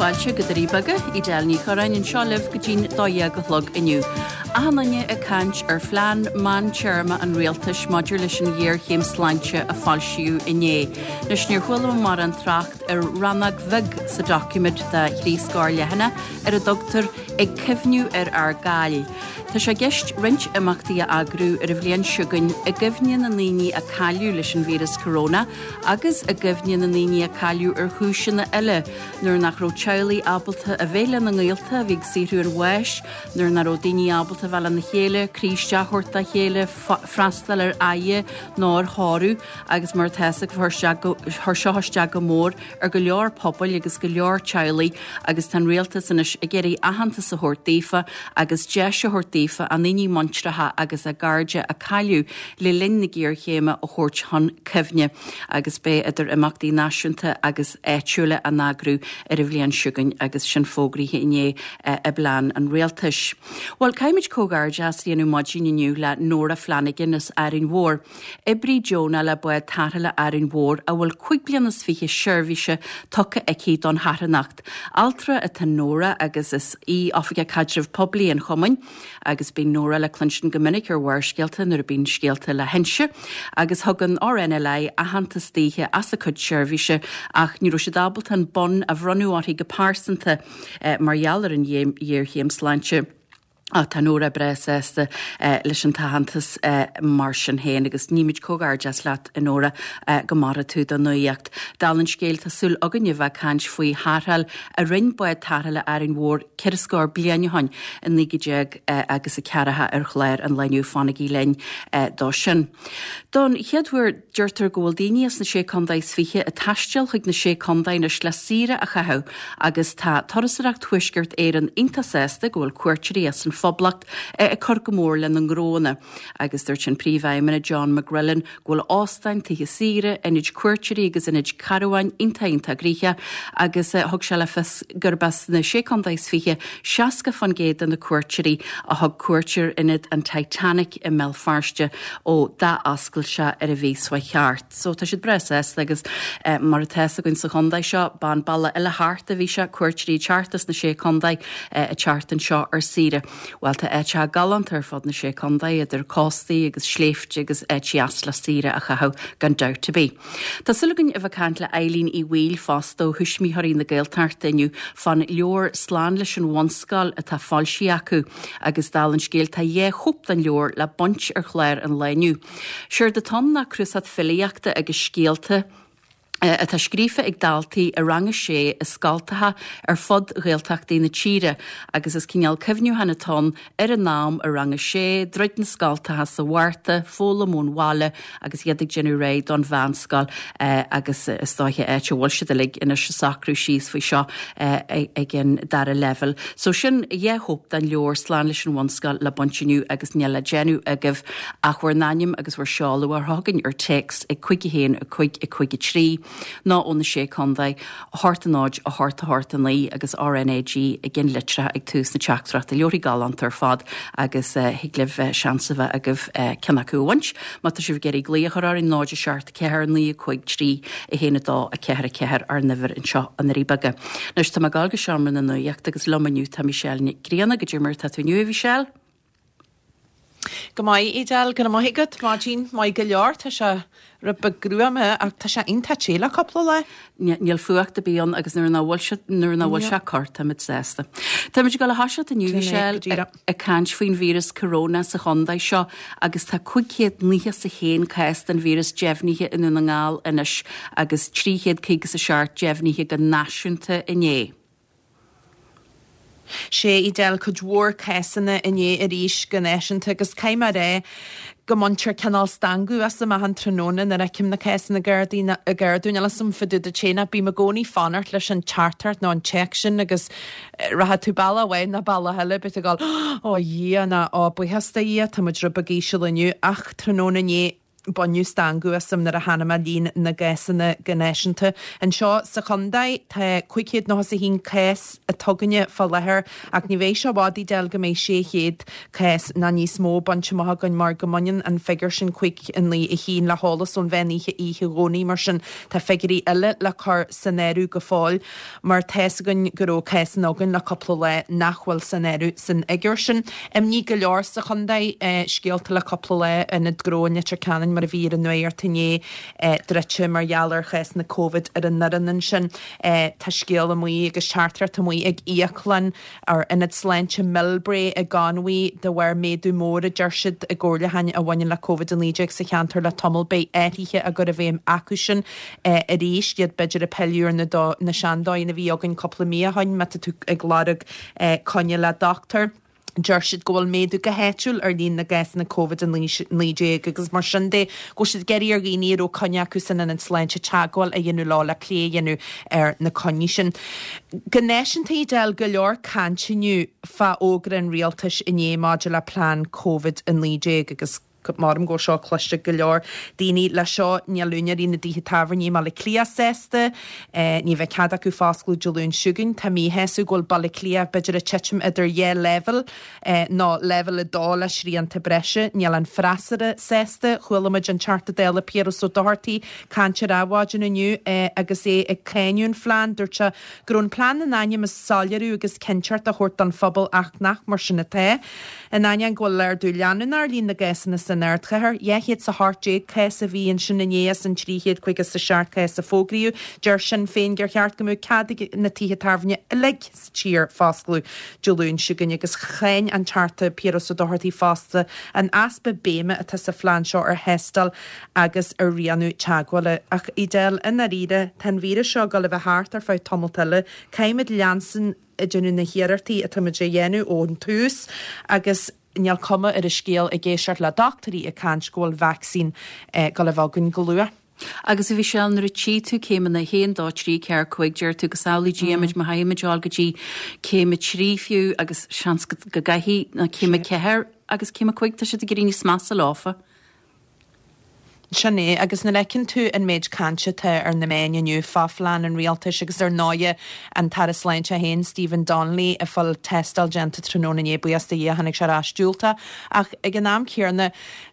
fáilte go Doirí Beaga, Edel Ní Chorráin anseo libh go dtí'n 12 a chlog inniu. Achan duine ag caint ar phlean meántéarma an rialtais maidir leis an ghéarchéim sláinte a foilsíodh inné. Anois níor chuala mé mórán trácht ar rannóg bheag sa doiciméad de thrí scór leathanach ar a dtugtar 'Ag Cuimhniú ar ár gCaill'. Tá sé i gceist roinnt imeachtaí a eagrú ar an bhliain seo chugainn i gcuimhne na ndaoine a cailleadh leis an víreas corona agus i gcuimhne na ndaoine a cailleadh ar chúiseanna eile, nuair nach raibh teaghlaigh ábalta a bheith lena ngaolta a bhí ag saothrú an bháis, nuair nach raibh daoine ábalta a bheith lena chéile, croí isteach a thabhairt dá chéile, freastal ar fhaire nó ar thórramh agus mar atá fhios agaibh chuir seo isteach go mór ar go leor pobail agus go leor teaghlaigh agus tá an rialtas anois ag iarraidh aitheantas a thabhairt daofa agus deis a thabhairt daofa a ndaoine muintreacha agus a gcairde a cailleadh le linn na géarchéime a thabhairt chun cuimhne agus beidh idir imeachtaí náisiúnta agus áitiúla á n-eagrú ar an bhliain seo chugainn agus sin fógraithe inné i bplean an rialtais. Bhuel, caithfimid comhghairdeas a dhéanamh maidin inniu le Nóra Flanagan as Árainn Mhór. Oibrí deonach le Bád Tarrthála Árainn Mhór a bhfuil 25 bliana seirbhíse tugtha aici don charthanacht. Altra atá in Nóra agus is í Oifigeach Caidreamh Poiblí an Chumainn agus bíonn Nóra le cluinstin go minic ar Bharrscéalta nuair a bíonn scéalta le hinse agus thug an RNLI aitheantas daoithe as a cuid seirbhíse ach ní raibh siad ábalta an bonn a bhronnadh uirthi go pearsanta mar gheall ar an ghéarchéim sláinte. Ach tá Nóra breá sásta leis an t-aitheantas mar sin féin agus nímid comhghairdeas leat, a Nóra, go maire tú do nuaíocht. Dála an scéil, tá súil againn a bheith ag caint faoi tharrtháil a rinn Bád Tarrthála Árainn Mhór ceithre scór bliain ó shoin i 19 agus a ceathracha ar chlár an lae inniu. Fanaigí linn dó sin. Don chéad uair deirtear go bhfuil daoine as na Sé Contae is Fiche ag taisteal chuig na Sé Contae anois le saoire a chaitheamh agus tá Turasóireacht Thuaisceart Éireann iontach sásta go bhfuil cuairteoirí as an Phoblacht ag cur go mór lena ngnóanna agus dúirt an Príomhfheidhmeannach John McGrillen go bhfuil óstáin, tithe saoire, ionaid cuairteoirí agus ionaid carbháin iontach iontach gnoitheach agus thug sé le fios gurb as na Sé Contae is Fiche 60% de na cuairteoirí a thug cuairt ar ionad an Titanic i mBéal Feirste ó d'athoscail sé ar an mhí seo thart. So tá siad breá sásta agus mar atá fhios againn sa chontae seo, b'an bealach eile thart a bhí sé, cuairteoirí ag teacht as na Sé Contae ag teacht anseo ar saoire. Bhuel tá áiteacha galánta ar fud na Sé Contae, idir cóstaí agus sléibhte agus áit dheas le saoire a chaitheamh gan dabht ar bith. Tá súil againn a bheith ag caint le Eileen Uí Bhaoill fosta ó Thuismitheoirí na Gaeltachta inniu fán leabhar Slán leis an Bhunscoil atá foilsithe acu agus dála an scéil tá dhá chóip den leabhar le baint ar chlár an lae inniu. Séard atá ann ná cnuasach filíochta agus scéalta atá scríofa ag daltaí i rang a sé i scoltacha ar fud Ghaeltachtaí na tíre agus is cineál cuimhniúchán atá ann ar a n-am i rang a sé, druid na scoltacha sa Mhárta, foghlaim ón bhaile agus iad ag déanamh réidh don mheánscoil agus is dóiche áit a bhfuil siad uilig anois ag socrú síos faoi seo ag an dara leibhéal. So sin dhá chóip den leabhar Slán leis an Bhunscoil le baint inniu agus níl le déanamh agaibh ach bhur n-ainm agus bhur seoladh a chur chugainn ar téacs ag 5 1 5 5 3 nó ó na Sé Contae. 8 0 8 8 9 agus RNAG i gceannlitreacha ag tús na teachtaireachta. Leabharthaí galánta ar fad agus thig libh seans a bheith agaibh ceann acu a bhaint. Má tá sibh ag iarraidh glaoch a chur orainn 0 7 4 9 5 3 1 2 4 4 ár n-uimhir anseo i nDoirí Beaga. Anois tá mé ag dul go seomra na nuachta agus liom inniu tá Michelle Nic Grianna. Goidé mar atá tú inniu, a Mhichelle? Go maith, Edel, go raibh maith agat. Maidin maith go leor. Tá sé rud beag gruama ach tá sé iontach te le cúpla lá. Níl fuacht ar bith ann agus nuair nach bhfuil sé nuair nach bhfuil sé ag cur táimid sásta. Táimid ag dul a thoiseacht inniu Michelle ag caint faoin víreas corona sa chontae seo agus tá 591 cás den víreas deimhnithe i nDún na nGall anois agus 357 deimhnithe go náisiúnta inné. Sea, Edel, cuid mhór cásanna inné arís go náisiúnta agus caithfidh mé a rá go mbaintear cineál stangadh asam achan tráthnóna nuair a fheicim na cásanna ag ardú. Níl 'fhios a'm fá dtaobh duit féin ach bím i gcónaí ag fanacht leis an teachtaireacht nó an téacs sin agus rachaidh tú bealach amháin nó bealach eile, beidh tú ag dul, Ó a Dhia, nó Ó buíochas do Dhia, tá muid rud beag íseal inniu ach tráthnóna inné. Baineadh stangadh asam nuair a chonaic mé líon na gcásanna go náisiúnta. Anseo sa chontae tá 591 cás atá againne fá láthair ach ní bheidh sé i bhfad Edel go mbeidh 600 cás ná níos mó bainte amach againn mar go mbaineann an figiúr sin 591 le heolas ón mheán oíche oíche Dhomhnaigh mar sin tá figiúirí eile le cur san áireamh go fóill. mar tá's againn go raibh cásanna againn le cúpla lá nach bhfuil san áireamh san fhigiúr sin. Imní go leor sa chontae, scéalta le cúpla lá, ionad gnó i Leitir Ceanainn mar a bhí ar an nuacht inné, druidte mar gheall ar chásanna Covid ar an fhoireann ansin. Tá scéal amuigh agus teachtaireacht amuigh ag íoclann ar Ionad Sláinte Millbrae i gConmhaigh de bharr méadú mór, a deir siad, i gcomhairliúcháin a bhaineann le Covid-19 sa cheantar le tamall. Beidh athruithe á gcur i bhfeidhm acusan arís, iad b'fhéidir ag pilleadh ar na seandóigheanna a bhí againn cúpla mí ó shoin má tá tú ag lorg coinne le dochtúir. Deir siad go bhfuil méadú go háitiúil ar líon na gcásanna Covid-19 agus mar sin de go bhfuil siad ag iarraidh ar dhaoine a raibh coinne acu san ionad sláinte teagmháil a dhéanamh leo le plé a dhéanamh ar na coinní sin. Go náisiúnta Edel, go leor cainte inniu fá fhógra an rialtais inné maidir le plean Covid-19 agus Maram go bhfuil seo cloiste ag go leor daoine. Leis seo, níl úinéirí na dtithe tábhairne i mBaile Átha Cliath sásta. Ní bheidh cead acu foscladh Dé Luain seo chugainn. Tá míshásamh go bhfuil Baile Átha Cliath b'fhéidir ag titim idir dhá leibhéal, nó leibhéal 2 le srianta breise. Níl an freasúra sásta. Chuala muid an Teachta Dála Piaras Ó Dochartaigh ag caint ar Adhmhaidin inniu agus é ag cáineadh an phlean. Dúirt sé go raibh an plean in ainm is soiléiriú agus cinnteacht a thabhairt don phobal ach nach mar sin atá. In ainneoin go bhfuil ardú leanúnach ar líon na gcásanna san ardchathair, 218 cás a bhí ansin inné as an 357 cás a fógraíodh, deir Sinn Féin gur cheart go mbeadh cead ag na tithe tábhairne uilig sa tír foscladh Dé Luain seo chugainn agus cháin an Teachta Piaras Ó Dochartaigh fosta an easpa béime atá sa phlean seo ar thástáil agus ar rianú teagmhála. Ach, Edel, i ndáiríre, tá an víreas seo ag dul a bheith thart ar feadh tamalt eile. Caithfimid leanstan ag déanamh na hiarrachtaí atáimid a dhéanamh ón tús agus níl cuma ar an scéal ag éisteacht le dochtúirí ag caint go bhfuil vacsaín ag dul a bheith againn go luath. Agus a Mhichelle, nuair a tchí tú céimeanna 1, 2, 3, 4, 5, deir tú go samhlaí Dia muid má chaithfimid dul go dtí céim 3 fiú agus seans go gcaithfidh, nó céim 4 agus céim 5, tá siad ag éirí níos measa leofa. Sin é, agus nuair a fheiceann tú an méid cainte atá ar na meáin inniu fá phlean an rialtais agus ar ndóighe an tAire Sláinte féin, Stephen Donnelly, ag fáil tástáil déanta tráthnóna inné, buíochas do Dhia tháinig sé ar ais diúltach. Ach ag an am céanna,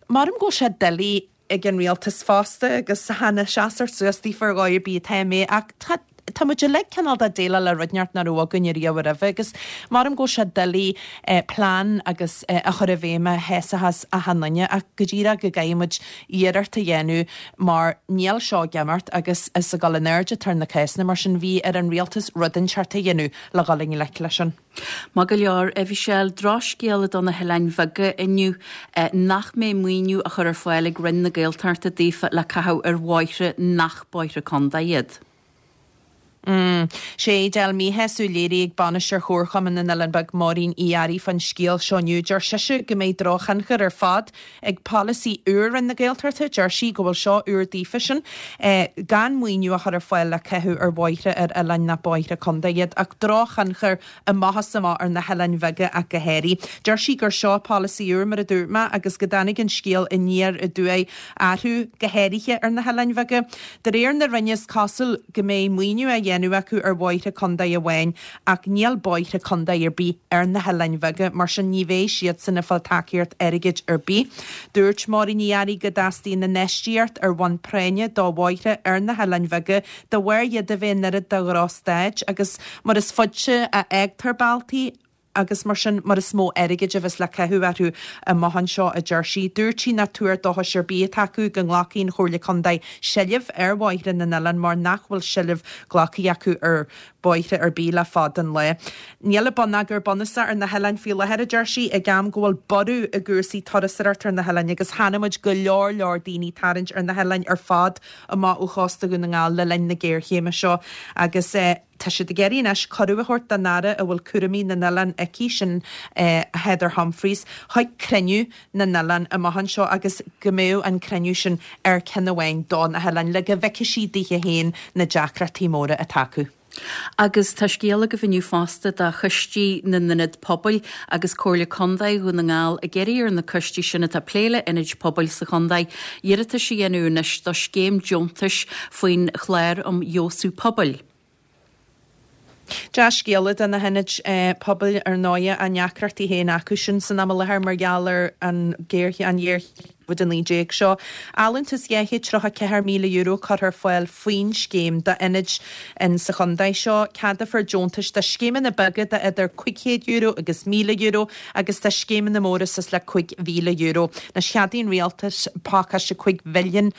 maram go bhfuil sé doiligh ag an rialtas fosta agus chan ag seasamh suas daofa ar dhóigh ar bith atá mé ach tá Tá muid uilig cineál de déileáil le rud inteacht nach raibh againn ariamh roimhe agus maram go bhfuil sé doiligh plean agus a chur i bhfeidhm a shásaíos achan duine ach go díreach go gcaithfidh muid iarracht a dhéanamh mar níl seo ag imeacht agus is ag dul in airde atá na cásanna mar sin bhí ar an rialtas rud inteacht a dhéanamh le dhul i ngleic leis sin. Maith go leor, a Mhichelle, drochscéala do na hOileáin Bheaga inniu nach mbeidh maoiniú á chur ar fáil ag Roinn na Gaeltachta daofa le caitheamh ar bhóithre nach bóithre contae iad. Sé Edel míshásamh léirithe ag Bainisteoir Chomharchumann na nOileán Beag Máirín Uí Fhearraigh fán scéal seo inniu. Deir sise go mbeidh drochthionchar ar fad ag polasaí úr Roinn na Gaeltachta. Deir sí go bhfuil seo úr daofa sin gan maoiniú a chur ar fáil le caitheamh ar bhóithre ar oileáin nach bóithre contae iad ach drochthionchar amach is amach ar na hoileáin bheaga ach go háirithe. Deir sí gur seo polasaí úr, mar a dúirt mé, agus go dtáinig an scéal aniar aduaidh orthu, go háirithe ar na hoileáin bheaga. De réir na Roinne is cosúil go mbeidh maoiniú á dhéanamh acu ar bhóithre contae amháin ach níl bóithre contae ar bith ar na hoileáin bheaga, mar sin ní bheidh siadsan ag fáil tacaíocht airgid ar bith. Dúirt Máirín Uí Fhearraigh go dteastaíonn infheistíocht ar bhonn práinne do bhóithre ar na hoileáin bheaga de bharr iad a bheith in oiread de dhrochstaid agus mar is faide a fhágtar bealtaí agus mar sin mar is mó airgid a bheas le caitheamh orthu amach anseo, a deir sí. Dúirt sí nach tuar dóchais ar bith atá acu go nglacfaidh an Chomhairle Contae seilbh ar bhóithre na n-oileán mar nach bhfuil seilbh glactha acu ar bhóithre ar bith le fada an lá. Níl an bonneagar bunúsach ar na hoileáin faoi láthair, a deir sí, ag am go bhfuil borradh i gcúrsaí turasóireachta ar na hoileáin agus chonaic muid go leor leor daoine tarraingt ar na hoileáin ar fad amach ó chósta Dhún na nGall le linn na géarchéime seo agus tá siad ag iarraidh anois cuireadh a thabhairt don Aire a bhfuil cúraimí na n-oileán aici, sin Heather Humphreys, chuig cruinniú na n-oileán amach anseo agus go mbeadh an cruinniú sin ar ceann amháin do na hoileáin le go bhfeicfidh sí daoithe féin na deacrachtaí móra atá acu. Agus tá scéal agaibh inniu fosta do choistí na n-ionad pobail agus Comhairle Contae Dhún na nGall ag iarraidh ar na coistí sin atá ag plé le hionaid pobail sa chontae iarratais a dhéanamh anois do scéim deontais faoin chlár um fheabhsú pobail. Dea-scéala do na hionaid pobail ar ndóighe, a ndeacrachtaí féin acu sin san am i láthair mar gheall ar an ghéarchéim Covid-19 seo. Allúntas €234,000 curtha ar fáil faoin scéim d'ionaid in sa chontae seo. Ceadófar deontais do scéimeanna beaga de idir €500 agus €1,000 agus do scéimeanna móra suas le €5,000. Anois cheadaigh an Rialtas pacáiste €5 mhilliún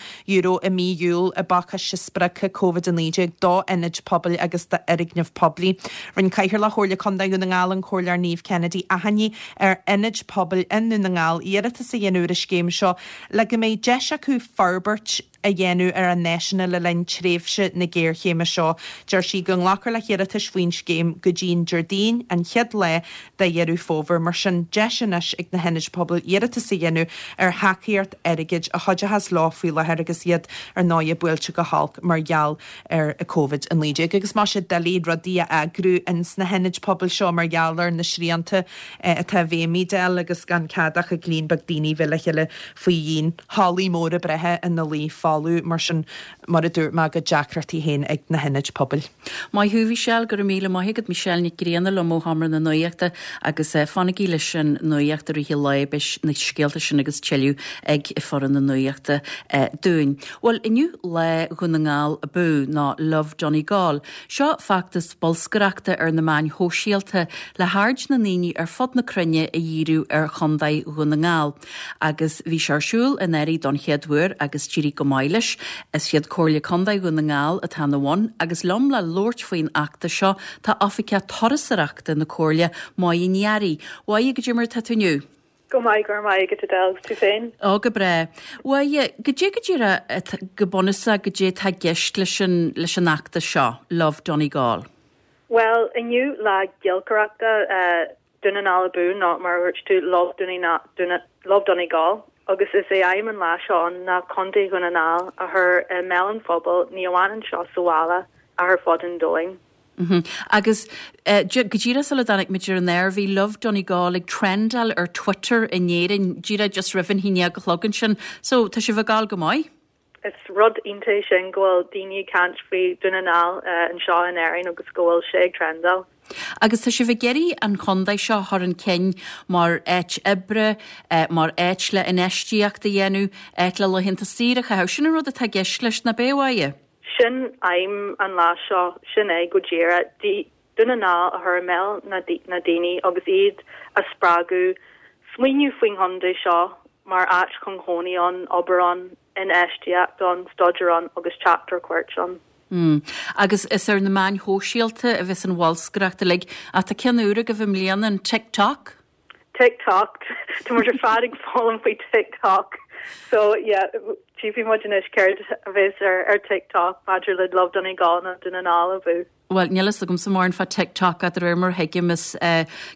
i mí Iúil i bpacáiste spreagtha Covid-19 d'ionaid pobail agus d'fhoirgnimh poiblí. Rinne Cathaoirleach Chomhairle Contae Dhún na nGall, an Comhairleoir Niamh Kennedy, achainí ar ionaid pobail i nDún na nGall iarratas a dhéanamh ar an scéim seo le go mbeidh deis acu forbairt a dhéanamh ar a n-áiseanna le linn tréimhse na géarchéime seo. Deir sí go nglacfar le hiarratais faoin scéim go dtí an Déardaoin, an chéad lá de Dheireadh Fómhair. Mar sin, deis anois ag na hionaid pobail iarratas a dhéanamh ar thacaíocht airgid a chuideochas leo faoi láthair agus iad ar ndóighe buailte go holc mar gheall ar Covid-19 agus tá sé doiligh rudaí a eagrú ins na hionaid pobail seo mar gheall ar na srianta atá i bhfeidhm Edel agus gan cead ach ag líon beag daoine bheith le chéile faoi dhíon. Hallaí móra breátha ina luí folamh mar sin mar a dúirt mé a gcuid deacrachtaí féin ag na hionaid pobail. Maith thú, Michelle, go raibh míle maith agat. Michelle Nic Grianna liom ó Sheomra na Nuachta agus fanaigí leis an nuacht i rith an lae, beidh na scéalta sin agus tuilleadh ag foireann na nuachta dúinn. Bhuel, inniu Lá Dhún na nGall Abú, nó Love Donegal. Seo feachtas bolscaireachta ar na meáin shóisialta le haird na ndaoine ar fud na cruinne a dhíriú ar Chontae Dhún na nGall. Agus bhí sé ar siúl anuraidh don chéad uair agus d'éirigh go maith leis. Is iad Comhairle Contae Dhún na nGall atá ina bhun agus liom le labhairt faoin fheachtas seo tá Oifigeach Turasóireachta na Comhairle, Máire Ní Fhearraigh. Máire, goidé mar atá tú inniu? Go maith, go raibh maith agat Edel, agus tú féin? Ó, go breá. Mháire, goidé go díreach, go bunúsach, goidé atá i gceist leis an, leis an fheachtas seo, Love Donegal? Bhuel, inniu lá giolcaireachta Dún na nGall Abú, nó mar a dúirt tú, Love Love Donegal, agus is é aidhm an lá seo ann ná Contae Dhún na nGall a chur i mbéal an phobail, ní amháin anseo sa bhaile ach ar fud an domhain. Agus go díreach sula dtáinig muid ar an aer, bhí Love Donegal ag trendáil ar Twitter in Éirinn díreach just roimh an haon dhéag a chlog ansin. So, tá sibh ag gabháil go maith. Is rud iontach é sin go bhfuil daoine ag caint faoi Dún na nGall anseo in Éirinn agus go bhfuil sé ag trendáil. Agus tá sibh ag iarraidh an chontae seo a chur chun cinn mar áit oibre, mar áit le infheistíocht a dhéanamh, áit le laethanta saoire a chaitheamh. Sin an rud atá i gceist leis, nach b'é, a Mháire? Sin aidhm an lá seo, sin é go díreach. Dún na nGall a chur i mbéal na ndaoine agus iad a spreagadh smaoineamh faoin chontae seo mar áit chun cónaí ann, obair ann, infheistíocht ann, staidéar ann agus teacht ar cuairt ann. Mm. Agus is ar na meáin shóisialta a bheas an bholscaireacht uilig. Ach tá ceann úr agaibh i mbliana, an TikTok? TikTok, tá muid ar fad ag foghlaim faoi TikTok so yeah tchífidh muid anois céard a bheas ar ar TikTok maidir le Love Donegal nó Dún na nGall abú. Bhuel, níl fhios agamsa mórán fá TikTok ach de réir mar a thuigim is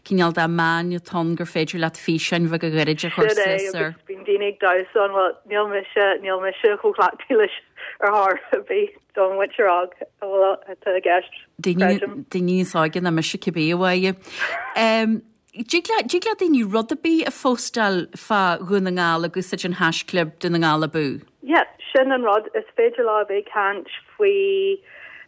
cineál de meán atá ann gur féidir leat físeáin bheaga ghairide a chur Sin é suas ar. agus bíonn daoine ag damhsa ann, bhuel níl mise, níl mise chomh cleachtaithe leis ar chor ar bith don mhuintir óg a bhfuil atá i gceist, Daoine, creidim. daoine níos óige ná mise cibé, a Mháire. Dtig le, dtig le daoine rud ar bith a phóstáil fá Dhún na nGall ag úsáid an haischlib Dún na nGall Abú. Yeah, sin an rud. Is féidir leo a bheith ag caint faoi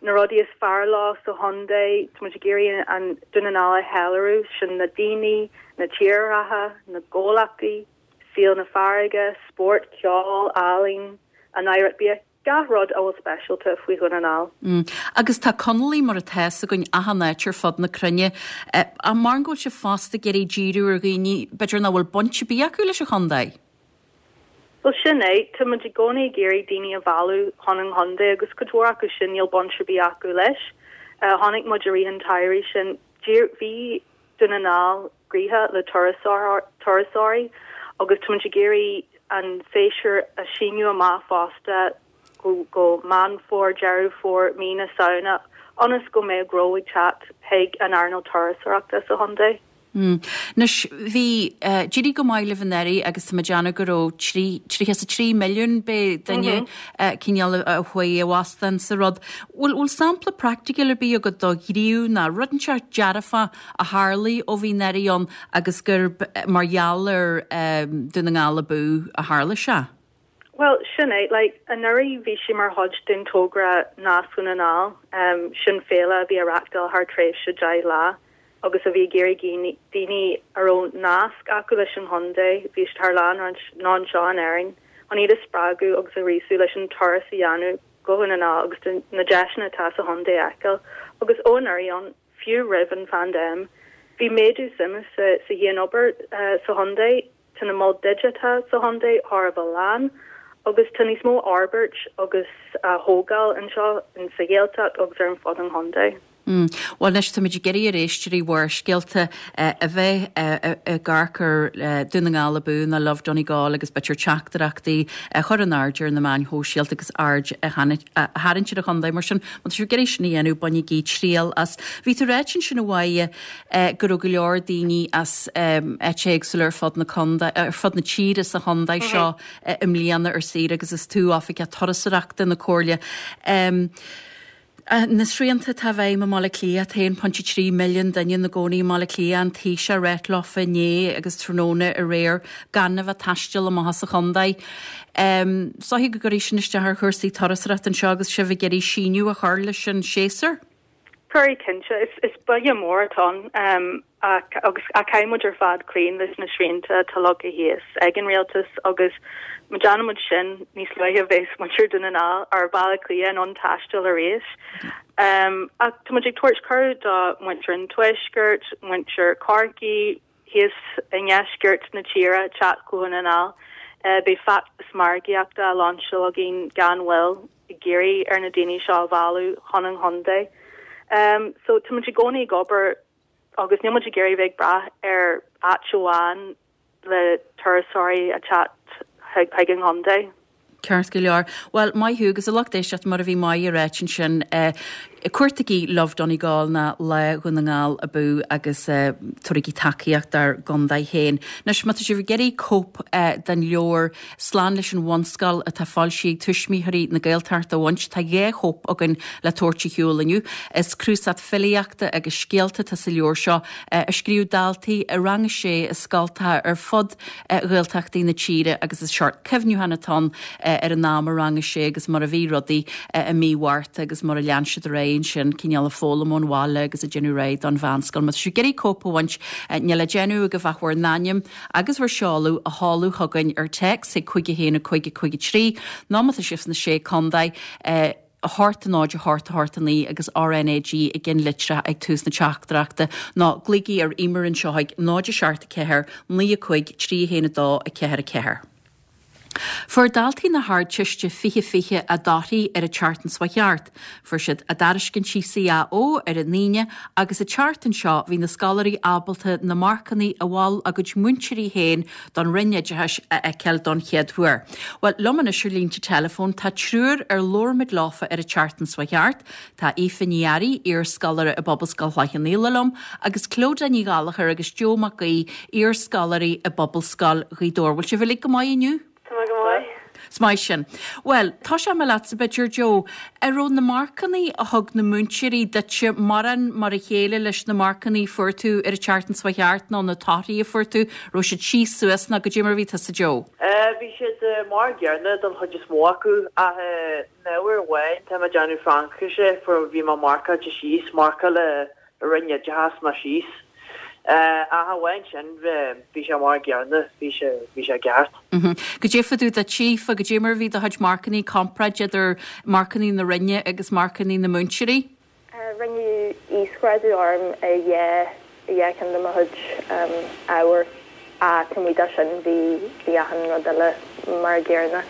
na rudaí is fearr leo sa chontae. Tá muid ag iarraidh an Dún na nGall a cheiliúradh, sin na daoine, na tírdhreacha, na comhlachtaí, saol na farraige, spórt, ceol, ealaín, an oidhreacht bia. Gach rud a bhfuil speisialta faoi Dhún na nGall. Agus tá Conallaigh mar atá fhios againn achan áit ar fud na cruinne. Ach maran go bhfuil sibh fosta ag iarraidh díriú ar dhaoine b'fhéidir nach bhfuil baint ar bith acu leis an chontae? Bhuel sin é, tá muid i gcónaí ag iarraidh daoine a mhealladh chun an chontae agus cuid mhór acu sin níl baint ar bith acu leis. Chonaic muid i rith an tsamhraidh sin, bhí Dún na nGall gnoitheach le turasóirí agus tá muid ag iarraidh an séasúr a síneadh amach fosta go Meán Fómhair, Deireadh Fómhair, mí na Samhna ionas go mbeadh gnó ag teacht chuig an earnáil turasóireachta sa chontae. Anois, bhí, d'éirigh go maith libh anuraidh agus tá mé ag déanamh go raibh 33 milliún b'é duine cineál a chuaigh i bhfostán sa rud. Bhfuil, bhfuil sampla praiticiúil ar bith agat do ghníomh ná rud inteacht dearfach a tharlaigh ó bhí anuraidh ann agus gurb mar gheall ar Dún na nGall Abú a tharla sé? Bhuel, sin é. Like, anuraidh bhí sé mar chuid den togra Nasc Dhún na nGall. Sin féile a bhí á reachtáil thar tréimhse 10 lá agus a bhí ag iarraidh daoine a raibh nasc acu leis an chontae, bhí siad thar lear nó anseo in Éirinn, chun iad a spreagadh agus a ghríosú leis an turas a dhéanamh go Dhún na nGall agus na deiseanna atá sa chontae a fheiceáil. Agus ó anuraidh ann, fiú roimh an phaindéim, bhí méadú suime sa chianobair sa chontae. Tá na moil digiteacha sa chontae thar a bheith lán agus tá níos mó fhorbairt agus á thógáil anseo sa Ghaeltacht agus ar fud an chontae. Bhuel anois táimid ag iarraidh ar éisteoirí Bharrscéalta a bheith ag amharc ar Dún na nGall Abú nó Love Donegal agus b'fhéidir teachtaireachtaí a chur in airde ar na meáin shóisialta agus aird a tharraingt ar an chontae. Mar sin, má tá sibh ag iarraidh sin a dhéanamh, bainigí triail as. Bhí tú ráite ansin a Mháire go raibh go leor daoine as áit éagsúla ar fud na contae, ar fud na tíre sa chontae seo i mbliana ar saoire agus is tú Oifigeach Turasóireachta na Comhairle. Na srianta atá i bhfeidhm i mBaile Átha Cliath, tá 1.3 milliún duine ina gcónaí i mBaile Átha Cliath, an Taoiseach ag ráit leofa inné agus tráthnóna aréir gan a bheith ag taisteal amach as an chontae. Is dóiche go gcuirfidh sin isteach ar chúrsaí turasóireachta anseo agus sibh ag iarraidh síneadh a chur leis an séasúr. Cuirfidh, cinnte. Is buille mór atá ann ach agus ach caithfidh muid ar fad cloí leis na srianta atá leagtha síos ag an rialtas agus má déanann muid sin níos luaithe a bheas muintir Dhún na nGall ar Bhaile Átha Cliath in ann taisteal arís. Ach tá muid ag tabhairt cuireadh do mhuintir an Tuaiscirt, muintir Chorcaí, thíos i ndeisceart na tíre teacht go Dhún na nGall. Beidh feachtas margaíochta á lainseáil againn gan mhoill ag iarraidh ar na daoine seo a mhealladh chun an chontae. So tá muid i gcónaí ag obair agus níl muid ag iarraidh bheith ag brath ar áit amháin le turasóirí a teacht chuig an chontae. Ceart go leor. Bhuel, maith thú agus a lucht éisteachta mar a bhí Máire ag ráit ansin, cuartaigí Love Donegal ná Lá Dhún na nGall Abú agus tabharaigí tacaíocht dár gcontae féin. Anois, má tá sibh ag iarraidh cóip den leabhar Slán leis an Bhunscoil atá foilsithe ag Tuismitheoirí na Gaeltachta a bhaint, tá dhá chóip againn le tabhairt ar shiúl inniu. Is cnuasach filíochta agus scéalta atá sa leabhar seo a scríobh daltaí i rang a sé i scoltacha ar fud Ghaeltachtaí na tíre agus is seort cuimhniúchán atá ann ar an am i rang a sé agus mar a bhí rudaí i mí Mhárta agus mar a lean siad ar aghaidh ansin, cineál ag foghlaim ón bhaile agus ag déanamh réidh don mheánscoil. Má tá sibh ag iarraidh cóip a bhaint, níl le déanamh agaibh ach bhur n-ainm agus bhur seoladh a sheoladh chugainn ar téacs chuig 5 1 5 5 3 nó má tá sibh sna Sé Contae, 8 0 8 8 9 agus RnaG i gceannlitreacha ag tús na teachtaireachta nó glaoigí ar Emer anseo ag 0 7 4 9 5 3 1 2 4 4. Fuair daltaí na hArdteiste 2020 a dtorthaí ar an tseachtain seo thart. Fuair siad a dtairiscintí CAO ar an Aoine agus an tseachtain seo bhí na scoláirí ábalta na marcanna a mhol a gcuid múinteoirí féin don Roinn Oideachais a fheiceáil don chéad uair. Bhuel, liom anois ar línte teileafóin tá triúr ar labhair muid leofa ar an tseachtain seo thart. Tá Aoife Ní Fhearraigh, iar-scoláire i bPobalscoil Chloich Cheann Fhaola liom, agus Clodagh Ní Ghallchóir agus Joe Mac Aoidh, iar-scoláirí i bPobalscoil Ghaoth Dobhair. Bhfuil sibh uilig go maith inniu? Tá mé go maith. Is maith sin. Bhuel, tosóidh mé leatsa b'fhéidir, Joe. An raibh na marcannaí a thug na múinteoirí duitse mórán mar a chéile leis na marcannaí a fuair tú ar an tseachtain seo thart nó na torthaí a fuair tú, raibh siad síos suas nó goidé mar a bhí tusa, Joe? Bhí siad mar an gcéanna don chuid is mó acu ach in ábhar amháin, tá mé ag déanamh Fraincise, fuair, bhí mé marcáilte síos, marcáil an Roinn Oideachais mé síos. Ach amháin sin, bhí sé mar an gcéanna, bhí sé, bhí sé ceart. Goidé fá dtaobh duit, Aoife, goidé mar a bhí do chuid marcannaí, comparáid idir marcannaí na Roinne agus marcannaí na múinteoirí? Rinneadh íosghrádú orm i dhá, i dhá cheann de mo chuid ábhar ach taobh amuigh de sin bhí, bhí achan rud eile mar an gcéanna.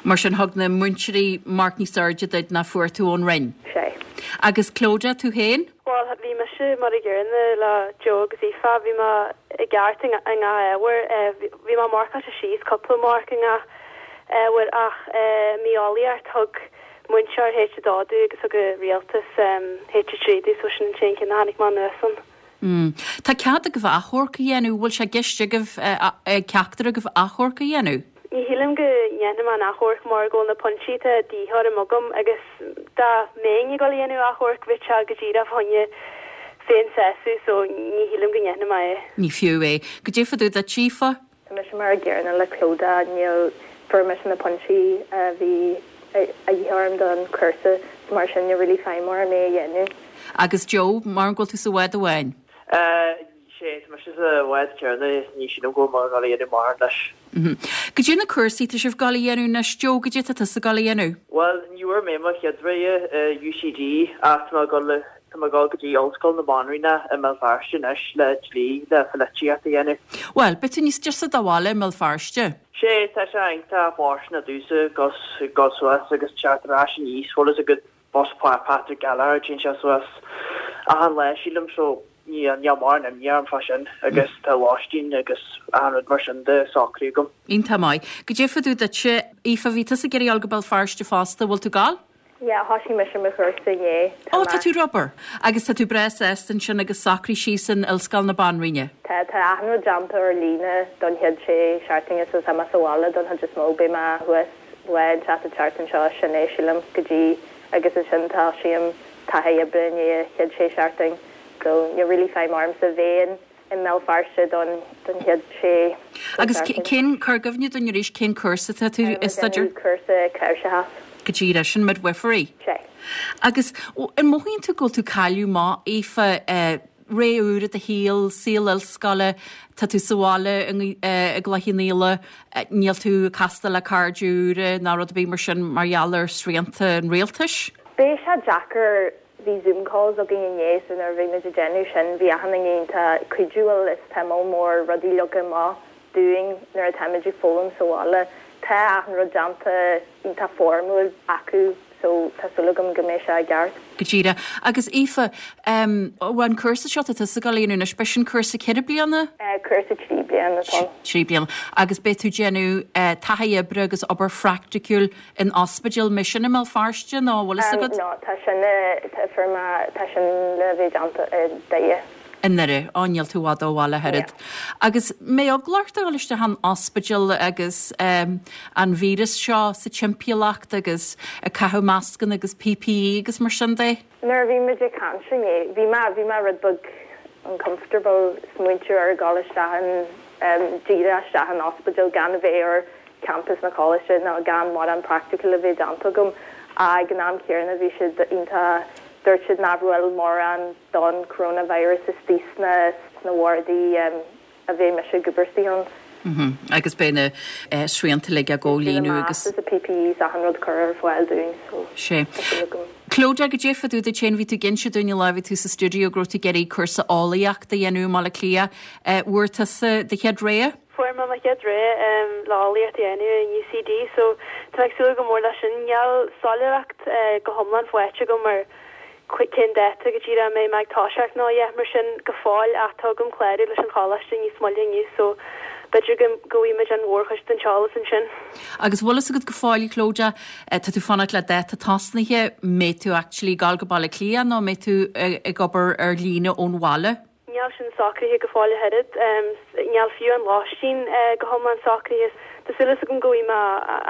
Mar sin thug na múinteoirí marc níos airde duit ná fuair tú ón Roinn? Sea. Agus Clodagh, tú féin? Bhuel, bhí mise mar a gcéanna le Joe agus Aoife, bhí mé i gceart i ngach ábhar. Bhí mé marcáilte síos cúpla marc i ngach ábhar ach i mbitheolaíocht thug múinteoir H2 domh agus thug an rialtas H3 domh so sin an t-aon ceann a tháinig mé anuas ann. Tá cead agaibh achomharc a dhéanamh, bhfuil sé i gceist agaibh, ag ceachtar agaibh achomharc a dhéanamh? Ní shílim go ndéanfaidh mé an achomharc mar go bhfuil na pointí atá de dhíth orm agam agus dá mbeinn ag dul a dhéanamh achomharc bheadh sé go díreach fá choinne féinsásamh so ní shílim go ndéanfaidh mé é. Ní fiú é. Goidé fá dtaobh duit, Aoife? Tá mise mar a gcéanna le Clodagh, níl, fuair mise na pointí a bhí a dhíth orm don chúrsa so mar sin níl really feidhm orm é a dhéanamh. Agus Joe, mar go bhfuil tú sa bhád amháin? Sé, tá mise sa bhád céanna, ní sílim go bhfuil mé ag dul a dhéanamh mórán leis. Goidé na cúrsaí tá sibh ag dul a dhéanamh anois, Joe, goidé tá tusa ag dul a dhéanamh? Bhuel, ní bhfuair mé mo chéad rogha i UCD ach tá mé ag dul, tá mé ag dul go dtí Ollscoil na Banríona i mBéal Feirste anois le dlí, le polaitíocht a dhéanamh. Bhuel, beidh tú níos deise do bhaile i mBéal Feirste. Sé, tá sé iontach fóirsteanach domhsa dul suas agus teacht ar ais aníos, bhfuil fhios agat Bus Patrick Gallagher, téann sé suas achan lá sílim so níl níl mórán imní orm fá sin agus tá lóistín agus achan rud mar sin de socraithe agam. Iontach maith. Goidé fá dtaobh duitse, Aoife, bhí tusa ag iarraidh dul go Béal Feirste fosta, bhfuil tú ag dul? Yeah, thoisigh mise mo chúrsa inné. Tá Ó, tá tú ar obair! Agus tá tú breá sásta ansin agus socraithe síos in Ollscoil na Banríona? Tá, tá achan rud déanta ar líne don chéad sé seachtaine so tá mé sa bhaile don chuid is mó, beidh mé thuas lá inteacht an tseachtain seo, sin é, sílim, go dtí agus ansin tosaím taithí oibre i ndiaidh an chéad sé seachtain so níl really feidhm ormsa bheith i mBéal Feirste don don chéad sé Agus seachtain. cén, cuir i gcuimhne dúinn arís, cén cúrsa atá tú ag staidéar? Cúrsa cnáimhseachas. Go díreach, sin midwifery. Sé. Agus an mothaíonn tú go bhfuil tú ag cailleadh amach, Aoife, ré úr i do shaol, saol ollscoile, tá tú sa bhaile i gCloich Cheann Fhaola, níl tú ag castáil le cairde úra ná rud ar bith mar sin mar gheall ar srianta an rialtais? Beidh sé deacair, bhí Zoom calls againn inné so nuair a bhí muid ag déanamh sin bhí achan duine iontach cuidiúil is tá moll mór rudaí leagtha amach dúinn nuair atáimid ag foghlaim sa bhaile. Tá achan rud déanta iontach foirmiúil acu so tá súil agam go mbeidh sé i gceart. Go díreach. Agus Aoife, em, an cúrsa seo atá tusa ag dul a dhéanamh anois, b'shin cúrsa ceithre bliana? Cúrsa trí bliana atá ann. Trí bliana. Agus beidh tú ag déanamh taithí oibre agus obair phraiticiúil in ospidéal, an mbeidh sin i mBéal Feirste nó an bhfuil fhios agat? No, tá sin, tá, fuair mé, tá sin le bheith déanta i Doire. I nDoire. Á, níl tú i bhfad ó bhaile ach oiread. Agus an mbeidh eagla ort a dhul isteach in ospidéal agus an víreas seo sa timpeallacht agus ag caitheamh mascanna agus PPE agus mar sin de? Nuair a bhí muid ag caint inné, bhí mé, bhí mé rud beag uncomfortable smaointiú ar dhul isteach in, díreach isteach in ospidéal gan a bheith ar campus na coláiste nó gan mórán practical a bheith déanta agam. Ag an am céanna bhí siad iontach, dúirt siad nach bhfuil mórán don coronavirus istigh sna sna wardaí a bheidh mise ag obair istigh ann. Agus beidh na srianta uilig á gcomhlíonadh agus. Beidh na masks is PPE is achan rud curtha ar fáil dúinn so Sé. tá súil agam. Clodagh, goidé fá dtaobh duit féin, bhí tú ag inse dúinn an lá a bhí tú sa stiúideo go raibh tú ag iarraidh cúrsa eolaíochta a dhéanamh i mBaile Átha Cliath. Bhfuair tusa do chéad rogha? Fuair mé mo chéad rogha le eolaíocht a dhéanamh in UCD so tá mé ag súil go mór leis sin. Níl soiléireacht go hiomlán faighte agam ar cén dáta go díreach a mbeidh mé ag toiseacht nó a dhath mar sin go fóill ach tá agam clárú leis an choláiste níos moille inniu so b'fhéidir go go bhfaighidh muid an mhórchuid den t-eolas ansin. Agus bhfuil fhios agat go fóill, a Chlodagh, tá tú fanacht le dáta tosnaithe, mbeidh tú actually ag dul go Baile Átha Cliath nó mbeidh tú ag obair ar líne ón bhaile? Níl sin socraithe go fóill ach oiread. Níl fiú an lóistín go hiomlán socraithe. Tá súil agam go bhfaighidh mé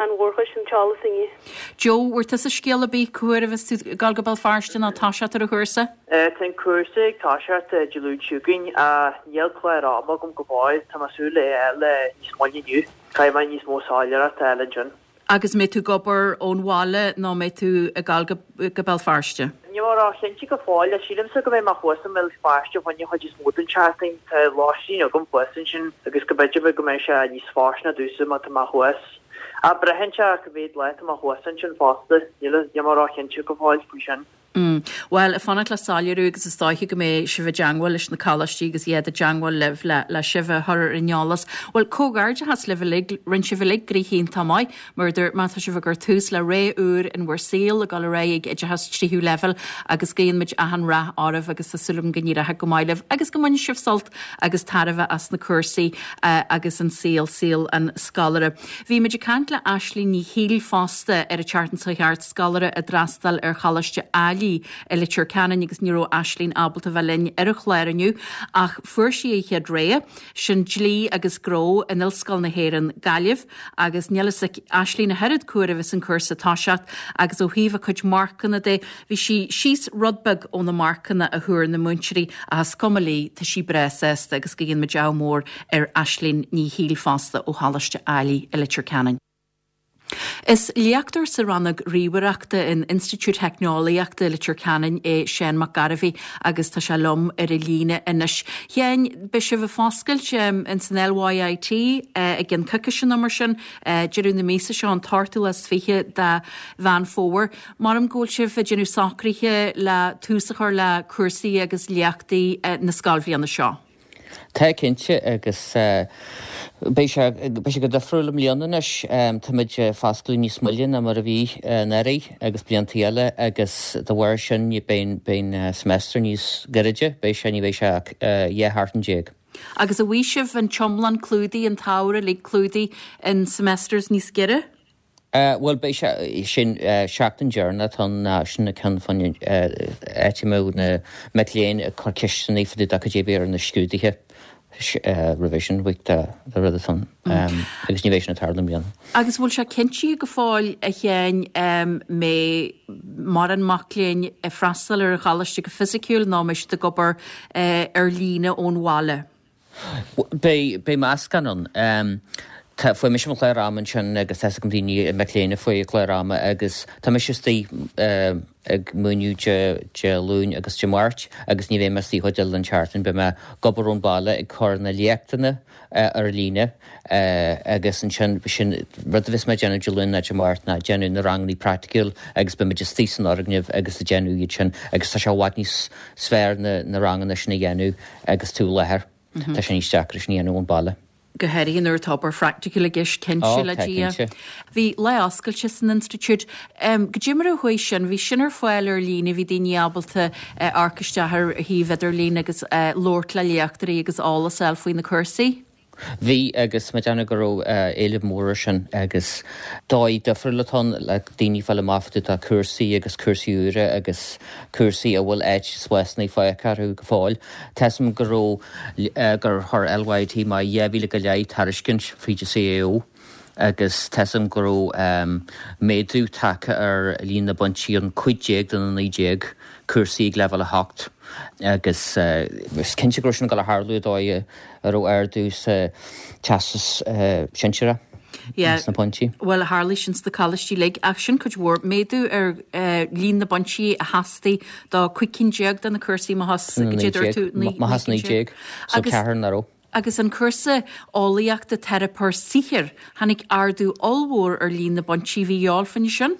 an mhórchuid den t-eolas inniu. Joe, bhfuair tusa scéal ar bith cá huair a bheas tú ag dul go Béal Feirste nó toiseacht ar an chúrsa? Tá an cúrsa ag toiseacht Dé Luain seo chugainn ach níl clár ama agam go fóill. Tá mé ag súil é a fháil níos moille inniu. Caithfidh mé níos mó soiléireacht a fháil ansin. Agus mbeidh tú ag obair ón bhaile nó mbeidh tú ag dul go Béal Feirste? Níl mé ró-chinnte go fóill. Sílimse go mbeidh mé thuas i mBéal Feirste fá choinne an chuid is mó den tseachtain. Tá lóistín agam thuas ansin agus go b'fhéidir go mbeidh sé níos fóirsteanaí domhsa má tá mé thuas. Ach braitheann sé cá mhéad lá tá mé thuas ansin fosta. Níl mé ró-chinnte go fóill faoi sin. Mm. Bhuel, ag fanacht le soiléiriú agus is dóiche go mbeidh sibh i dteangmháil leis na coláistí agus iad i dteangmháil libh le, le sibh a chur ar an eolas. Bhuel, comhghairdeachas libh uilig, rinne sibh uilig gnoithe iontach maith. Mar a dúirt mé, tá sibh ag cur tús le ré úr in bhur saol, ag dul ar aghaidh ag oideachas tríú leibhéal agus guíonn muid achan rath oraibh agus tá súil agam go n-éireoidh go maith libh agus go mbainfidh sibh sult agus tairbhe as na cúrsaí agus an saol, saol an scoláire. Bhí muid ag caint le Aisling Ní Shiail fosta ar an tseachtain seo chuaigh thart, scoláire a d'fhreastail ar Choláiste Ailigh. Fhailí i Leitir Ceanainn agus ní raibh Aislínn ábalta bheith linn ar an chlár inniu ach fuair sí a chéad rogha, sin Dlí agus Gnó in Ollscoil na hÉireann, Gaillimh agus níl fhios ag Aislínn ach oiread cá huair a bheas an cúrsa ag toiseacht agus ó thaobh a cuid marcanna de, bhí sí síos rud beag ó na marcanna a thuar na múinteoirí ach is cuma léi, tá sí breá sásta agus go ndéana muid ádh mór ar Aislínn Ní Shiail fosta ó Choláiste Ailigh i Leitir Ceanainn. Is léachtóir sa rannóg ríomhaireachta in Institiúid Theicneolaíochta Leitir Ceanainn é Seán Mac Gairbhí agus tá sé liom ar an líne anois. Sheáin, beidh sibh ag foscailt ins an LYIT i gcionn coicíse nó mar sin, deireadh na míosa seo, an t-ochtú lá is 20 de Mheán Fómhair. Maram go bhfuil sibh ag déanamh socruithe le tús a chur le cúrsaí agus léachtaí na scoilbhliana seo. Tá, cinnte, agus beidh sé, beidh sé go difriúil i mbliana anois. Táimid ag foscladh níos moille ná mar a bhí anuraidh agus blianta eile agus de bharr sin beidh, beidh an semester níos gairide, beidh sé, ní bheidh sé ach 12 sheachtain. Agus an bhfaighidh sibh an t-iomlán clúdaithe, an t-ábhar uilig clúdaithe in semesters níos giorra? Bhuel, beidh sé sin, seachtain deireanach atá ann ná sin an ceann fán áit a mbeadh na mic léinn ag cur ceisteanna fá dtaobh de cad é a bheidh ar na scrúduithe revision week de rud atá ann agus ní bheidh sin ag tarlú i mbliana. Agus bhfuil sé cinntithe go fóill, a Sheáin, mbeidh mórán mac léinn ag freastal ar an choláiste go fisiciúil nó mbeidh siad ag obair ar líne ón bhaile? Beidh, beidh meascán ann. Tá, fuair mise mo chlár ama ansin agus tá 'fhios agam daoine, mic léinn a fuair a gclár ama agus tá mise istigh ag múineadh Dé, Dé Luain agus Dé Máirt agus ní bheidh mé istigh chuid eile den tseachtain. Beidh mé ag obair ón baile ag cur na léachtanna ar líne agus ansin sin rud a bheas mé ag déanamh Dé Luain ná Dé Máirt ná déanamh na ranganna praiticiúil agus beidh muid istigh san fhoirgneamh agus ag déanamh iad sin agus tá sé i bhfad níos fearr na, na ranganna sin a dhéanamh Agus tú i láthair, tá sé níos deacra sin a dhéanamh ón baile. Go háirithe nuair atá obair phraiticiúil i gceist, cinnte, le Dia. Bhí lá oscailte san institiúid. Goidé mar a chuaigh sin? Bhí sin ar fáil ar líne, bhí daoine ábalta amharc isteach ar shuíomh idirlín agus labhairt le léachtóirí agus eolas a fháil faoi na cúrsaí. Bhí, agus mé ag déanamh go raibh éileamh mór air sin agus dóigh difriúil atá ann le daoine fáil amach fá dtaobh de cúrsaí agus cúrsaí úra agus cúrsaí a bhfuil áit spásanna fágtha orthu go fóill. Tá 'fhios a'm go raibh, gur chuir LYIT amach 2,000 go leith tairiscint fríd an CAO agus tá 'fhios a'm go raibh méadú tagtha ar líon na bpointí ar an 15 de na 19 cúrsaí ag leibhéal 8 agus is cinnte go raibh sin ag dul a tharlú an dóigh a raibh ardú sa teastas sinsearach sna pointí. Bhuel, tharlaigh sin sna coláistí uilig, ach sin cuid mhór, méadú ar líon na bpointí a theastaigh do 15 cinn de na cúrsaí, má dúirt tú 19, so ceathrar nach raibh. Agus an cúrsa eolaíochta teiripeoir saothair, tháinig ardú ollmhór ar líon na bpointí a bhí a dhíobháil fá choinne sin.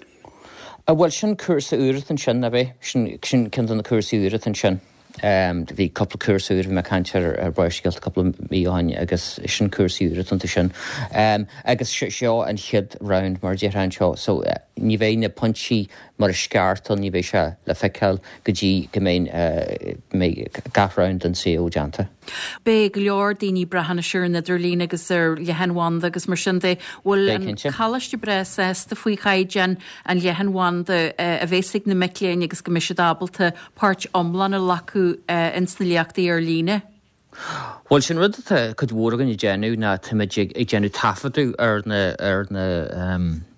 Bhuel, sin cúrsa úr atá ansin, ab é? Sin ceann de na cúrsaí úra atá ansin. Bhí cúpla cúrsa úr, bhí mé ag caint ar ar Barrscéalta cúpla mí ó shin agus sin cúrsaí úr atá iontu sin. Agus seo an chéad round mar a déarfá anseo so ní bheidh na pointí mar is ceart ann, ní bheidh sé le feiceáil go dtí go mbeidh mbeidh gach round den CAO déanta. Beidh go leor daoine ag brath anois ar an idirlíon agus ar leathanbhanda agus mar sin de. Bhfuil an coláiste breá sásta faoi chaighdeán an leathanbhanda a bhéas ag na mic léinn agus go mbeidh siad ábalta páirt iomlán a ghlacadh ins na léachtaí ar líne. Bhuel, sin rud atá cuid mhór againn ag déanamh ná táimid ag déanamh taifeadadh ar na ar na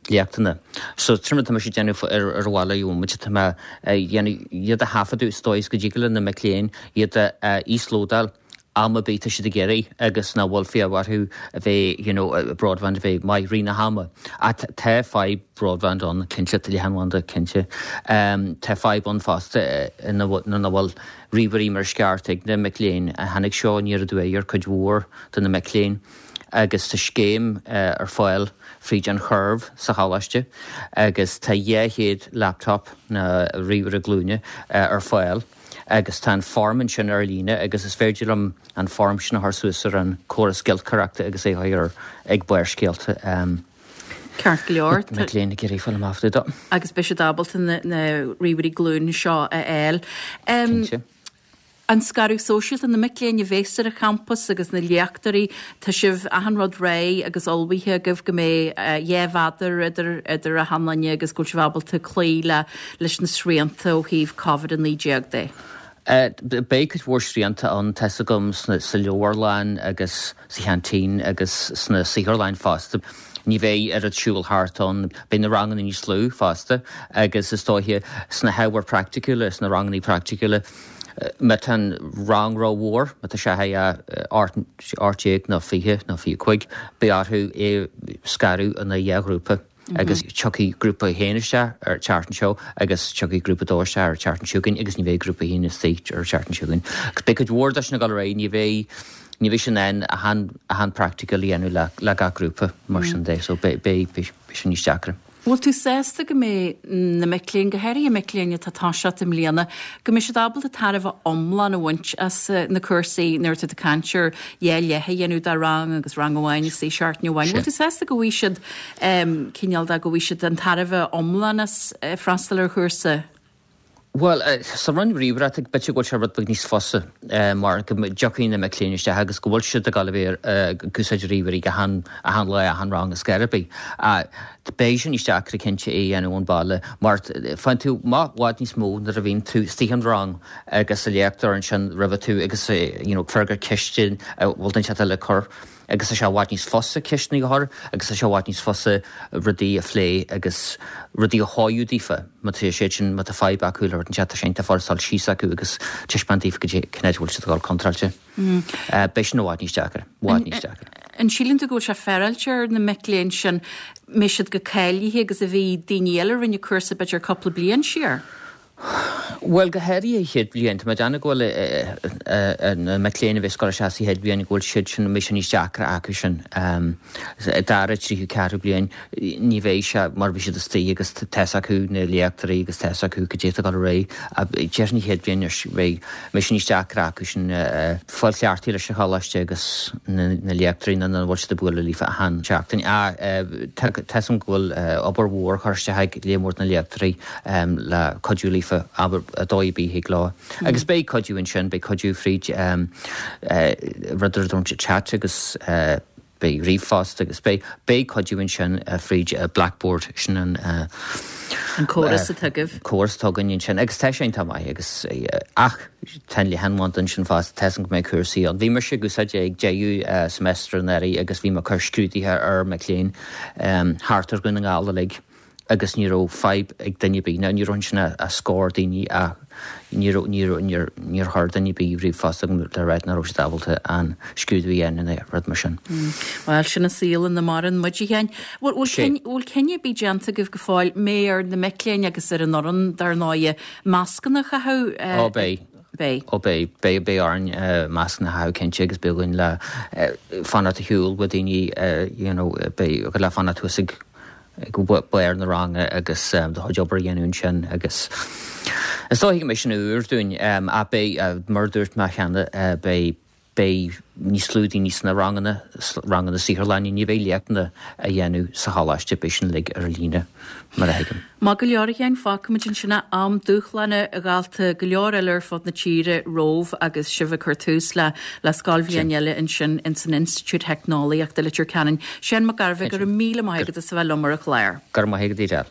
léachtanna. So sin rud atá mise ag déanamh ar ar an bhaile gheobhaimid tá mé ag déanamh iad a thaifeadadh sa dóigh is go dtig le na mic léinn iad a íoslódáil am ar bith tá siad ag iarraidh agus nach bhfuil fiach orthu a bheith you know broadband a bheith maith i rith na hama. Ach tá fadhb broadband ann cinnte, tá leathanbhanda cinnte. Tá fadhb ann fosta ina bhfuil ríomhairí mar is ceart ag na mic léinn. Tháinig seo aniar aduaidh ar cuid mhór de na mic léinn agus tá scéim ar fáil fríd an Curve sa choláiste agus tá 200 laptop nó ríomhaire glúine ar fáil. agus tá an form ansin ar líne agus is féidir liom an form sin a chur suas ar an córas giolcaireachta agus é a chur ag Barrscéalta. Ceart go leor. Mic léinn ag iarraidh fáil amach fá dtaobh de. Agus beidh siad ábalta na ríomhairí glúine seo a fháil. Cinnte. An scaradh sóisialta, na mic léinn a bhéas ar an champas agus na léachtóirí, tá sibh achan rud réidh agus ullmhaithe agaibh go mbeidh 2 mhéadar idir idir achan duine agus go bhfuil sibh ábalta cloí le leis na srianta ó thaobh Covid-19 de? Beidh cuid mhór srianta ann, tá's agam, sa leabharlann agus sa cheaintín agus sna saotharlanna fosta. Ní bheidh oiread siúl thart ann. Beidh na ranganna níos lú fosta agus is dóiche sna hábhair praiticiúla, sna ranganna praiticiúla, má tá an rang rómhór, má tá sé 18 nó 20 nó 25, beidh orthu é scaradh ina dhá ghrúpa agus tiocfaidh grúpa a haon isteach ar an tseachtain seo agus tiocfaidh grúpa a dó isteach ar an tseachtain seo chugainn agus ní bheidh grúpa a haon istigh ar an tseachtain seo chugainn. Agus beidh cuid mhór de sin ag dul ar aghaidh, ní bheidh ní bheidh sé in ann achan achan practical a dhéanamh le le gach grúpa mar sin de so beidh beidh beidh sin níos deacra. Bhfuil tú sásta go mbeidh na mic léinn, go háirithe mic léinn atá ag toiseacht i mbliana, go mbeidh siad ábalta tairbhe iomlán a bhaint as na cúrsaí nuair atá tú ag caint ar dhá leath a dhéanamh de rang agus rang amháin istigh seachtain amháin? Bhfuil tú sásta go bhfaighidh siad cineál de, go bhfaighidh siad an tairbhe iomlán as freastal ar chúrsa? Bhuel, sa roinn ríomhaireachta, b'fhéidir go bhfuil sé rud beag níos fusa mar go dtiocfaidh na mic léinn isteach agus go bhfuil siad ag dul a bheith ag úsáid ríomhairí achan, achan lá, achan rang is scor ar bith. Beidh sé níos deacra cinnte é a dhéanamh ón bhaile mar faigheann tú amach i bhfad níos mó nuair a bhíonn tú istigh in rang agus an léachtóir ansin roimhe tú agus you know ag freagairt ceiste a bhfuil duine inteacht eile ag cur. agus tá sé i bhfad níos fusa ceisteanna a chur agus tá sé i bhfad níos fusa rudaí a phlé agus rudaí a shóiú daofa má tá siad sin, má tá fadhb acu le rud inteacht tá sé iontach furast dul síos acu agus taispeáint daofa goidé cén áit a bhfuil siad ag dul contráilte. Beidh sin i bhfad níos deacra, i bhfad níos deacra. An síleann tú go bhfuil sé féaráilte ar na mic léinn sin, mbeidh siad chomh cáilithe agus a bhí daoine eile a rinne cúrsa b'fhéidir cúpla bliain siar? Bhuel, go háirithe an chéad bhliain. Tá mé ag déanamh go bhfuil na mic léinn a bheas ag dul isteach sa chéad bhliain, go bhfuil siad sin, mbeidh sé níos deacra acu sin. Dara, tríú, ceathrú bliain, ní bheidh sé mar bhí siad istigh agus tá's acu na léachtóirí agus tá's acu goidé atá ag dul ar aghaidh. Déarfainn an chéad bhliain, beidh, mbeidh sé níos deacra acu sin fáil cleachtaithe leis an choláiste agus na léachtóirí nó nach bhfuil siad ag bualadh líofa achan seachtain. Tá's agam go bhfuil obair mhór curtha isteach ag lear mór de na léachtóirí le cuidiú líofa, abair, dóigh ar bith a thig leo. Agus beidh cuidiú ansin, beidh cuidiú fríd rud ar a dtugtar chat agus beidh ríomhphost agus beidh, beidh cuidiú ansin fríd Blackboard, sin an. An córas atá agaibh. Córas atá againn ansin agus tá sé iontach maith agus ach tá an leathanbhanda ansin fosta, tá 'fhios agam go mbeidh cúrsaí ann. Bhí mise ag úsáid é ag deireadh semester anuraidh agus bhí mé ag cur scrúduithe ar mic léinn thart ar Dhún na nGall uilig. agus ní raibh fadhb ag duine ar bith, now ní raibh ansin ach scór daoine ach ní raibh, ní raibh, níor, níor chuir duine ar bith ríomhphost chugam le ráit nach raibh siad ábalta an scrúdú a dhéanamh nó rud mar sin. Bhuel, sin an saol ina maireann muid, a Sheáin. Bhfuil, bhfuil Sé. bhfuil cinneadh ar bith déanta agaibh go fóill, mbeidh ar na mic léinn agus ar an fhoireann, dar ndóighe, mascanna a chaitheamh? Ó, beidh. Beidh. Ó beidh, beidh, beidh orainn mascanna a chaitheamh cinnte agus beidh againn le fanacht ar shiúl ó daoine, you know, beidh le fanacht thuas ag, ag barr na ranga agus do chuid obair a dhéanamh ansin agus is dóiche go mbeidh sin úr dúinn ach beidh, mar a dúirt mé cheana, beidh, beidh níos lú daoine sna ranganna, ranganna saotharlainne, ní bheidh léachtanna á dhéanamh sa choláiste, beidh sin uilig ar líne mar a thuigim. Maith go leor a Sheáin, fágfaimid ansin é. Am dúshlánach a dhalta go leor eile ar fud na tíre romhaibh agus sibh ag cur tús le le scoilbhliain eile ansin ins an Institiúid Theicneolaíochta, Leitir Ceanainn. Seán Mac Gairbheith, go raibh míle maith agat as a bheith liom ar an chlár. Go raibh maith agat, Edel.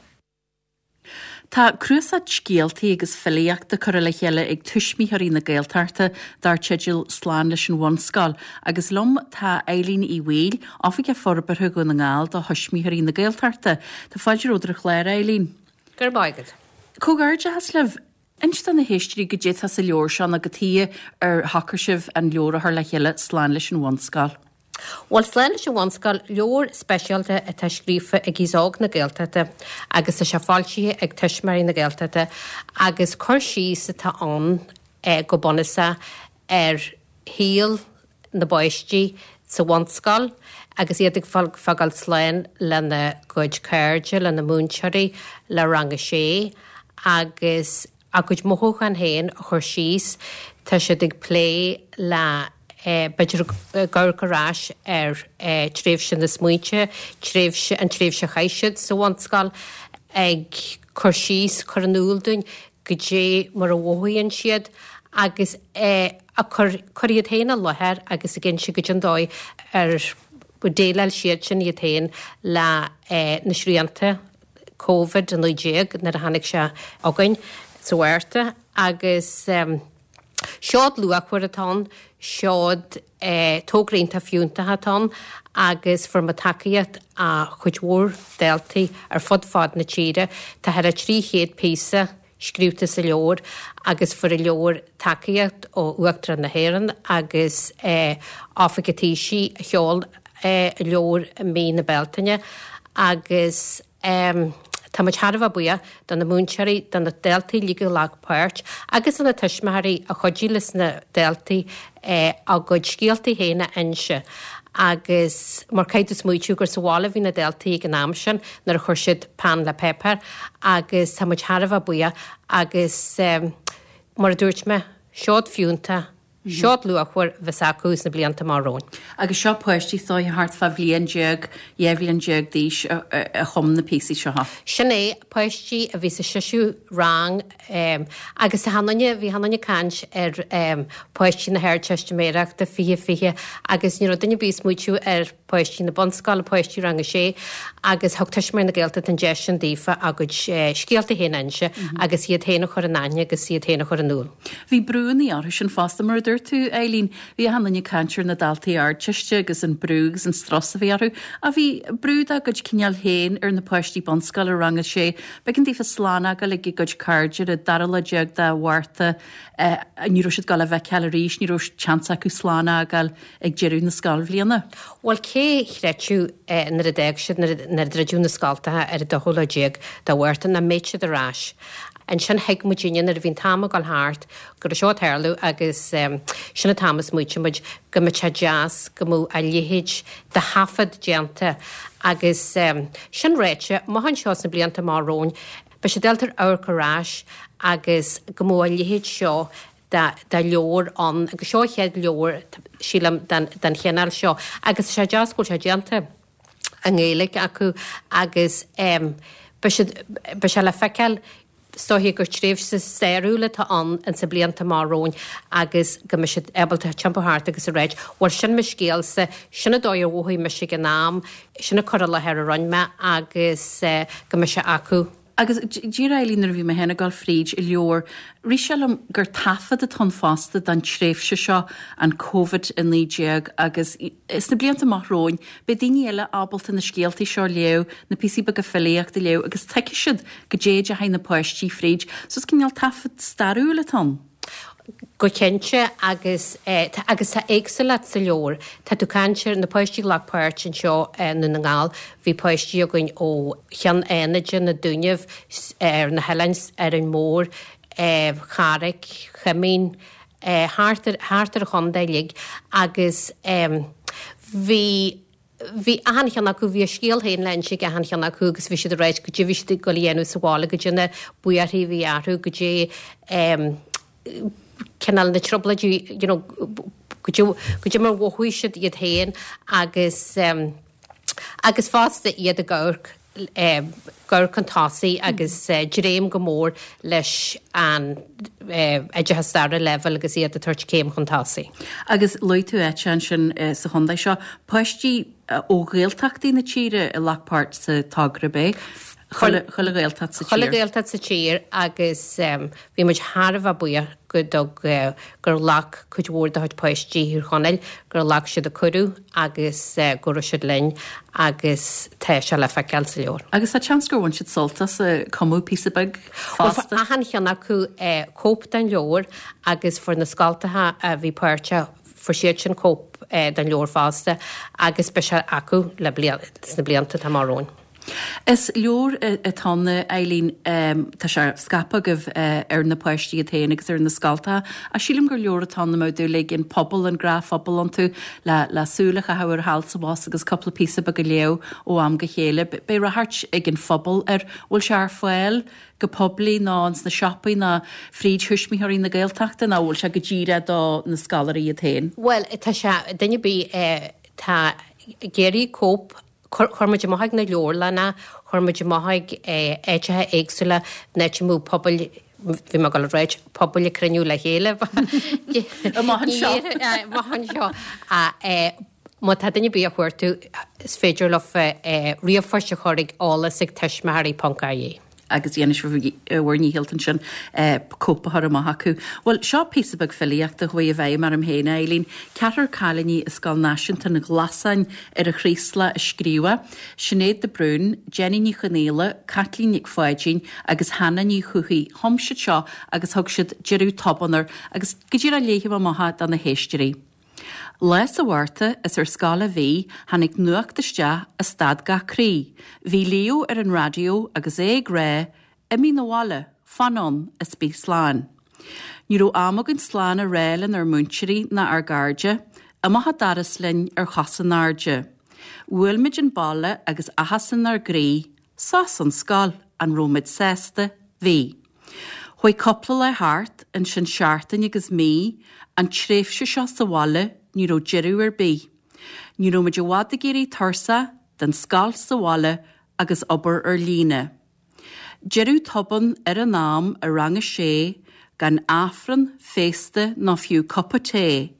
Tá cnuasach scéaltaí agus filíochta curtha le chéile ag Tuismitheoirí na Gaeltachta dar teideal Slán leis an Bhunscoil agus liom tá Eileen Uí Bhaoill, Oifigeach Forbartha Dhún na nGall do Thuismitheoirí na Gaeltachta. Tá fáilte romhat ar an chlár, a Eileen. Go raibh maith agat. Comhghairdeachas libh. Inis do na héisteoirí goidé atá sa leabhar seo nó cad chuige ar shocraigh sibh an leabhar a chur le chéile, Slán leis an Bhunscoil. Bhuel, Slán leis an Bhunscoil, leabhar speisialta atá scríofa ag Aos Óg na Gaeltachta agus tá sé foilsithe ag Tuismitheoirí na Gaeltachta agus cur síos atá ann go bunúsach ar shaol na bpáistí sa bhunscoil agus iad ag fágáil slán lena gcuid cairde, lena múinteoirí, le rang a sé agus a gcuid mothúchán féin a chur síos. Tá siad ag plé le, b'fhéidir, ag amharc ar ais ar tréimhse na smaointe, tréimhse, an tréimhse a chaith siad sa bhunscoil, ag cur síos, cur in iúl dúinn goidé mar a mhothaíonn siad. agus ag cur cur iad féin i láthair agus ag inse goidé an dóigh ar dhéileáil siadsan iad féin le na srianta Covid-19 nuair a tháinig sé chugainn sa Mhárta agus seod luachmhar atá ann, seod togra iontach fiúntach atá ann agus fuair muid tacaíocht ó chuid mhór daltaí ar fud fad na tíre. Tá thar 300 píosa scríobhta sa leabhar agus fuair an leabhar tacaíocht ó Uachtarán na hÉireann agus Oifig an Taoisigh a sheol an leabhar i mí na Bealtaine agus tá muid thar a bheith buíoch do na múinteoirí, do na daltaí uilig a ghlac páirt agus do na tuismitheoirí a chuidigh leis na daltaí a gcuid scéaltaí féin a inse agus mar caithfidh tú smaoitiú gur sa bhaile a bhí na daltaí ag an am sin nuair a chuir siad peann le páipéar agus tá muid thar a bheith buíoch agus mar a dúirt mé, seod fiúntach, seod luachmhar a bheas acu sna blianta amach romhainn. Agus seo páistí is dóiche thart fá bhliain déag, 12 bhliain d'aois a chum na píosaí seo. Sin é, páistí a bhí sa seisiú rang agus tá achan duine, bhí achan duine ag caint ar páistí na hArdteistiméireachta 2020 agus ní raibh duine ar bith ag smaoitiú ar páistí na bunscoile, páistí rang a sé agus thug Tuismitheoirí na Gaeltachta an deis sin daofa a gcuid scéalta féin a inse agus iad féin a chur in aithne agus iad féin a chur in iúl. Bhí brúanna orthu sin fosta, mar a dúirt tú, Eileen. Bhí achan duine ag caint ar na daltaí Ardteiste agus an brú agus an strus a bhí orthu. Ach bhí brú dá gcuid cineál féin ar na páistí bunscoile, rang a sé. B'éigean daofa slán a fhágáil ag a gcuid cairde ar an dara lá déag de Mhárta. Ní raibh siad ag dul a bhfeiceáil arís, ní raibh seans acu slán a fhágáil ag deireadh na scoilbhliana. Bhuel, cé chreidfeadh nuair a d'fhág siad, nuair a druideadh na scoltacha ar an dóú lá déag de Mhárta, nach mbeadh siad ar ais? Ansin thuig muidinne nuair a bhí an t-am ag dul thart go raibh seo ag tarlú agus sin an t-am a smaoitigh muid go mbeadh sé deas go mbeadh a leithéid de thaifead déanta agus sin ráite, amach anseo sna blianta amach romhainn beidh siad ábalta amharc ar ais agus go mbeadh a leithéid seo de leabhar ann agus seo an chéad leabhar, sílim, den chineál seo agus tá sé deas go bhfuil sé déanta i nGaeilge acu agus beidh siad, beidh sé le feiceáil is dóiche gur tréimhse stairiúil atá ann insa blianta amach romhainn agus go mbeidh siad ábalta tiompú thart agus a ráit bhuel sin mo scéalsa, sin an dóigh ar mhothaigh mise ag an am, sin an cur i láthair a rinne mé agus go mbeidh sé acu. Agus díreach Eileen nuair a bhí mé féin ag dul fríd an leabhar, rith sé liom gur taifead atá ann fosta den tréimhse seo, an Covid-19, agus sna blianta amach romhainn, beidh daoine eile ábalta na scéaltaí seo a léamh, na píosaí beaga filíochta a léamh agus tuigfidh siad goidé a dheachaigh na páistí fríd. So is cineál taifead stairiúil atá ann. Go cinnte, agus agus tá éagsúlacht sa leabhar. Tá tú ag caint ar na páistí a ghlac páirt anseo i nDún na nGall, bhí páistí againn ó Cheann Fhánaide, na Dúnaibh, ar na hoileáin, Árainn Mhór, Carraig Chuimín, thart ar thart ar an chontae uilig agus bhí Bhí achan cheann acu, bhí a scéal féin le inse ag achan cheann acu agus bhí siad ag ráit goidé a bhí siad ag goil a dhéanamh sa bhaile, goidé na buarthaí a bhí orthu, goidé cineál na trioblóidí, you know, goidé, goidé mar mhothaigh siad iad féin agus, agus fosta iad ag amharc ag amharc chun tosaigh agus dréim go mór leis an oideachas dara leibhéal agus iad ag tabhairt céim chun tosaigh. Agus luaigh tú áit ansin sa chontae seo, páistí ó Ghaeltachtaí na tíre a ghlac páirt sa togra, ab é? Chuile Ghaeltacht sa tír. Chuile Ghaeltacht sa tír agus bhí muid thar a bheith buíoch go dtug, gur ghlac cuid mhór de chuid páistí Thír Chonaill, gur ghlac siad an cuireadh agus go raibh siad linn agus tá sé le feiceáil sa leabhar. Agus tá seans gur bhain siad sult as ag cumadh píosa beag fosta. Fuair achan cheann acu cóip den leabhar agus fuair na scoltacha a bhí páirteach, fuair siad sin cóip den leabhar fosta agus beidh sé acu le sna blianta atá amach romhainn. Is leabhar atá ann, Eileen, tá sé scaipthe agaibh ar na páistí iad féin agus ar na scoltacha, ach sílim gur leabhar atá ann a mbeadh dúil ag an pobal, an gnáthphobal iontu, le súil a chaitheamh air thall 's abhus agus cúpla píosa beag a léamh ó am go chéile. Beidh ráchairt ag an phobal air. Bhfuil sé ar fáil go poiblí nó ins na siopaí nó fríd Thuismitheoirí na Gaeltachta nó bhfuil sé go díreach do na scoláirí iad féin? Bhuel, tá sé, duine ar bith atá ag iarraidh cóip Chuir muid amach ag na leabharlanna, chuir muid amach ag áiteacha éagsúla, in áit a mbeadh pobail. Bhí mé ag dul a ráit pobail ag cruinniú le chéile. Amach anseo. Amach anseo. Má tá duine ar bith á chuartú, is féidir leo ríomhphost a chur ag eolas ag tuismitheoirí ponc ie. agus dhéanfaidh sibh bhur ndícheall ansin cóip a chur amach acu. Bhuel, seo píosa beag filíochta a chuaigh i bhfeidhm orm féin, a Eileen. Ceathrar cailíní i Scoil Náisiúnta an Ghlasáin ar an Chraoslach a scríobh é, Sinéad de Brún, Jenny Ní Chonaola, Caitlín Nic Pháidín agus Hannah Ní Thuathaigh. Chum siad seo agus thug siad Deireadh Tobann air agus go díreach léifidh mé amach é do na héisteoirí. Lá sa Mhárta is ar scoil a bhí, tháinig nuacht isteach a stad gach croí. Bhí Leo ar an raidió agus é ag rá, Imigh 'na bhaile, fan ann is bí slán. Ní raibh am againn slán a rá lenár múinteoirí ná ár gcairde, amach an doras linn ar chosa in airde. Bhuail muid an baile agus áthas inár gcroí, sos ón scoil, an raibh muid sásta? Bhí. Chuaigh cúpla lá thart, ansin seachtain agus mí, an tréimhse seo sa bhaile, ní raibh deireadh ar bith. Ní raibh muid i bhfad ag éirí tuirseach den scoil sa bhaile agus obair ar líne. Deireadh tobann ar an am i rang a sé, gan Aifreann, féasta ná fiú cupa tae.